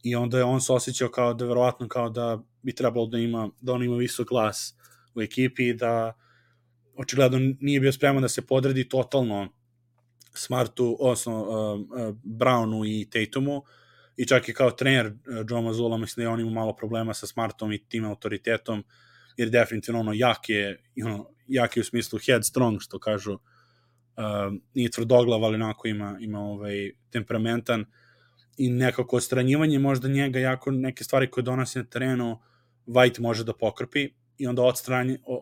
Speaker 1: i onda je on se osjećao kao da verovatno kao da bi trebalo da ima, da on ima visok glas u ekipi i da očigledno nije bio spreman da se podredi totalno Smartu, odnosno uh, uh, Brownu i Tatumu, i čak i kao trener uh, Joe Mazzulla, mislim da je on imao malo problema sa Smartom i tim autoritetom, jer definitivno ono jak je, ono, jak je u smislu headstrong, što kažu, uh, nije tvrdoglav, ali onako ima, ima ovaj, temperamentan, i nekako odstranjivanje možda njega, jako neke stvari koje donosi na terenu White može da pokrpi, i onda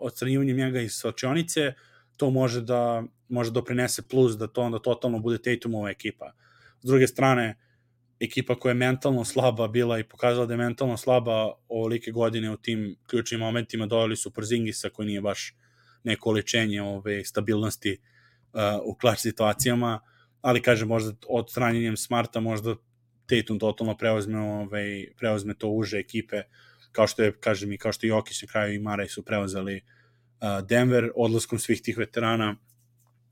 Speaker 1: odstranjivanje njega iz svačionice to može da može doprinese plus da to onda totalno bude Tatumova ekipa. S druge strane, ekipa koja je mentalno slaba bila i pokazala da je mentalno slaba ovolike godine u tim ključnim momentima, doveli su Porzingisa koji nije baš neko oličenje ove stabilnosti uh, u klač situacijama, ali kažem, možda odstranjenjem Smarta možda Tatum totalno preuzme, ovaj, preuzme to uže ekipe, kao što je, kažem, i kao što je Jokić na kraju i Murray su preuzeli uh, Denver odlaskom svih tih veterana.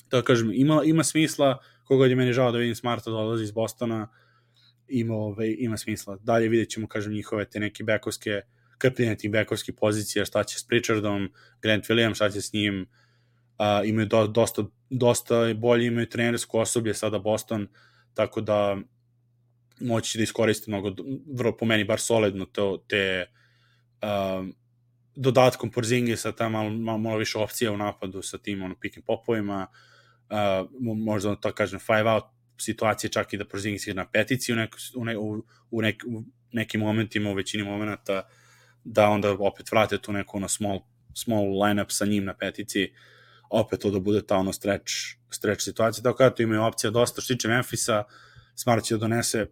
Speaker 1: Tako kažem, ima, ima smisla, kogod je meni žao da vidim Smarta da odlazi iz Bostona, ima, ovaj, ima smisla. Dalje vidjet ćemo, kažem, njihove te neke bekovske, krpljenje tih bekovskih pozicija, šta će s Pritchardom, Grant Williams, šta će s njim, uh, imaju do, dosta, dosta bolje, imaju trenersko osoblje sada Boston, tako da moći da iskoriste mnogo, vrlo po meni bar solidno to, te uh, dodatkom Porzingisa, ta malo, malo, malo više opcija u napadu sa tim ono, pick and popovima, uh, možda tako kažem five out situacije, čak i da Porzingis igra na petici u, neko, u, ne, u, u, nek, u nekim momentima, u većini momenta, da onda opet vrate tu neku ono small, small line-up sa njim na petici, opet to da bude ta ono stretch, stretch situacija, tako da to imaju opcija dosta. Što tiče Memphisa, Smart će da donese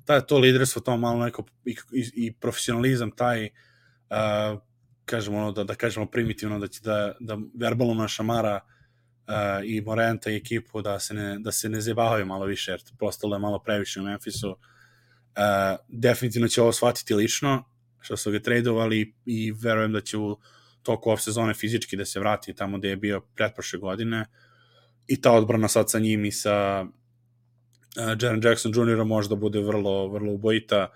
Speaker 1: taj, to liderstvo, to malo neko i, i, i profesionalizam, taj uh, kažemo ono, da, da kažemo primitivno, da će da, da verbalno našamara uh, i Moranta i ekipu da se ne, da se ne zebavaju malo više, jer postalo je malo previše u Memphisu. Uh, definitivno će ovo shvatiti lično, što su ga tradovali i verujem da će u toku off sezone fizički da se vrati tamo gde je bio pretprošle godine i ta odbrana sad sa njim i sa uh, Jaren Jackson juniorom možda bude vrlo, vrlo ubojita.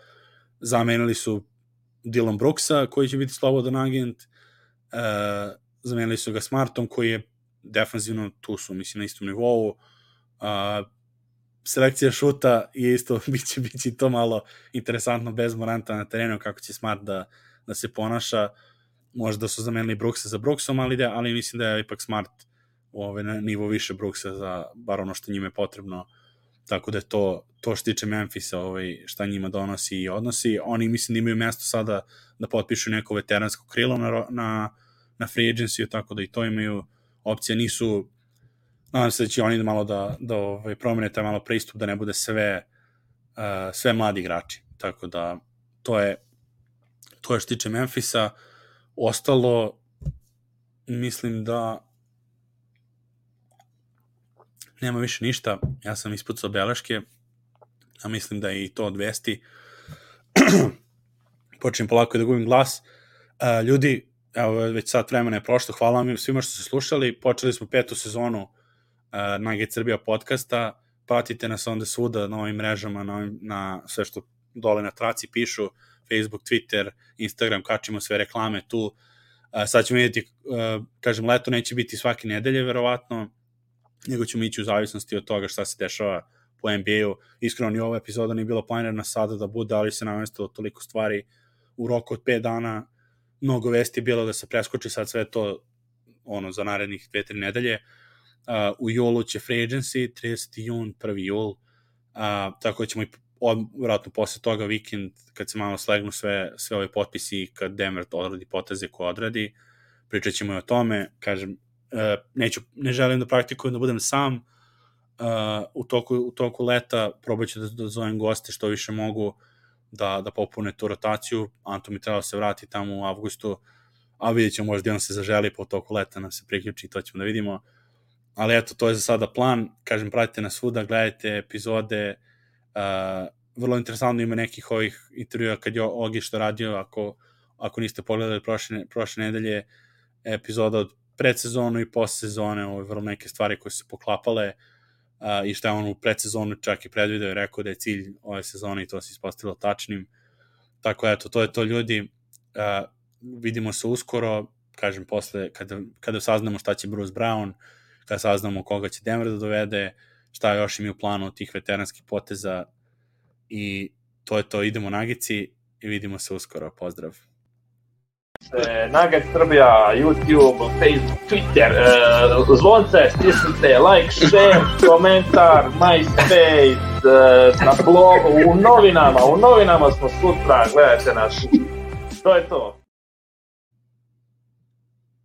Speaker 1: Zamenili su Dillon Brooksa koji će biti slobodan agent, uh, zamenili su ga Smartom koji je defanzivno, tu su mislim na istom nivou. Uh, selekcija šuta je isto, biće, biće to malo interesantno bez Moranta na terenu, kako će Smart da, da se ponaša. Možda su zamenili Brooksa za Brooksom, ali, da, ali mislim da je ipak Smart ovaj, na nivo više Brooksa za bar ono što njima je potrebno, tako da je to, to što tiče Memphisa, ovaj, šta njima donosi i odnosi. Oni mislim da imaju mesto sada da potpišu neko veteransko krilo na, na, na free agency, tako da i to imaju opcije. Nisu, nadam se da će oni malo da, da ovaj, promene taj malo pristup, da ne bude sve, uh, sve mladi igrači, tako da to je to je što tiče Memphisa. Ostalo, mislim da nema više ništa. Ja sam ispucao beleške, a mislim da je i to od vesti. Počnem polako da gubim glas. Uh, ljudi, evo, već sat vremena je prošlo. Hvala vam svima što ste slušali. Počeli smo petu sezonu uh, Nugget Srbija podcasta. Pratite nas onda svuda na ovim mrežama, na, ovim, na sve što dole na traci pišu. Facebook, Twitter, Instagram, kačimo sve reklame tu. Uh, sad ćemo vidjeti, uh, kažem, leto neće biti svake nedelje, verovatno, nego ćemo ići u zavisnosti od toga šta se dešava po N B A-u. Iskreno, ni ova epizoda nije bila planirana sada da bude, ali se namestilo toliko stvari u roku od pet dana. Mnogo vesti je bilo da se preskoči sad sve to ono, za narednih dve, tri nedelje. Uh, u julu će free agency, trideseti jun, prvi jul, uh, tako da ćemo i od, vratno posle toga vikend, kad se malo slegnu sve, sve ove potpisi, kad Denver odradi poteze koje odradi, pričat ćemo i o tome. Kažem, uh, neću, ne želim da praktikujem da budem sam uh, u, toku, u toku leta, probat ću da, da zovem goste što više mogu da, da popune tu rotaciju. Anto mi trebao se vrati tamo u avgustu, a vidjet ćemo, možda on se zaželi po toku leta nam se priključi, to ćemo da vidimo. Ali eto, to je za sada plan. Kažem, pratite nas svuda, gledajte epizode. Uh, vrlo interesantno ima nekih ovih intervjua kad je Ogi što radio, ako, ako niste pogledali prošle, prošle nedelje epizoda od predsezonu i postsezone, ovo je vrlo neke stvari koje su se poklapale uh, i što je on u predsezonu čak i predvideo i rekao da je cilj ove sezone i to se ispostavilo tačnim. Tako eto, to je to, ljudi. Uh, vidimo se uskoro, kažem, posle, kada, kada saznamo šta će Bruce Brown, kada saznamo koga će Denver da dovede, šta još im je u planu od tih veteranskih poteza, i to je to, idemo Nagici i vidimo se uskoro, pozdrav.
Speaker 2: Nugget Srbija, YouTube, Facebook, Twitter, uh, zvonce, stisnite, like, share, komentar, MySpace, uh, na blogu, u novinama, u novinama smo sutra, gledajte naš, to je to.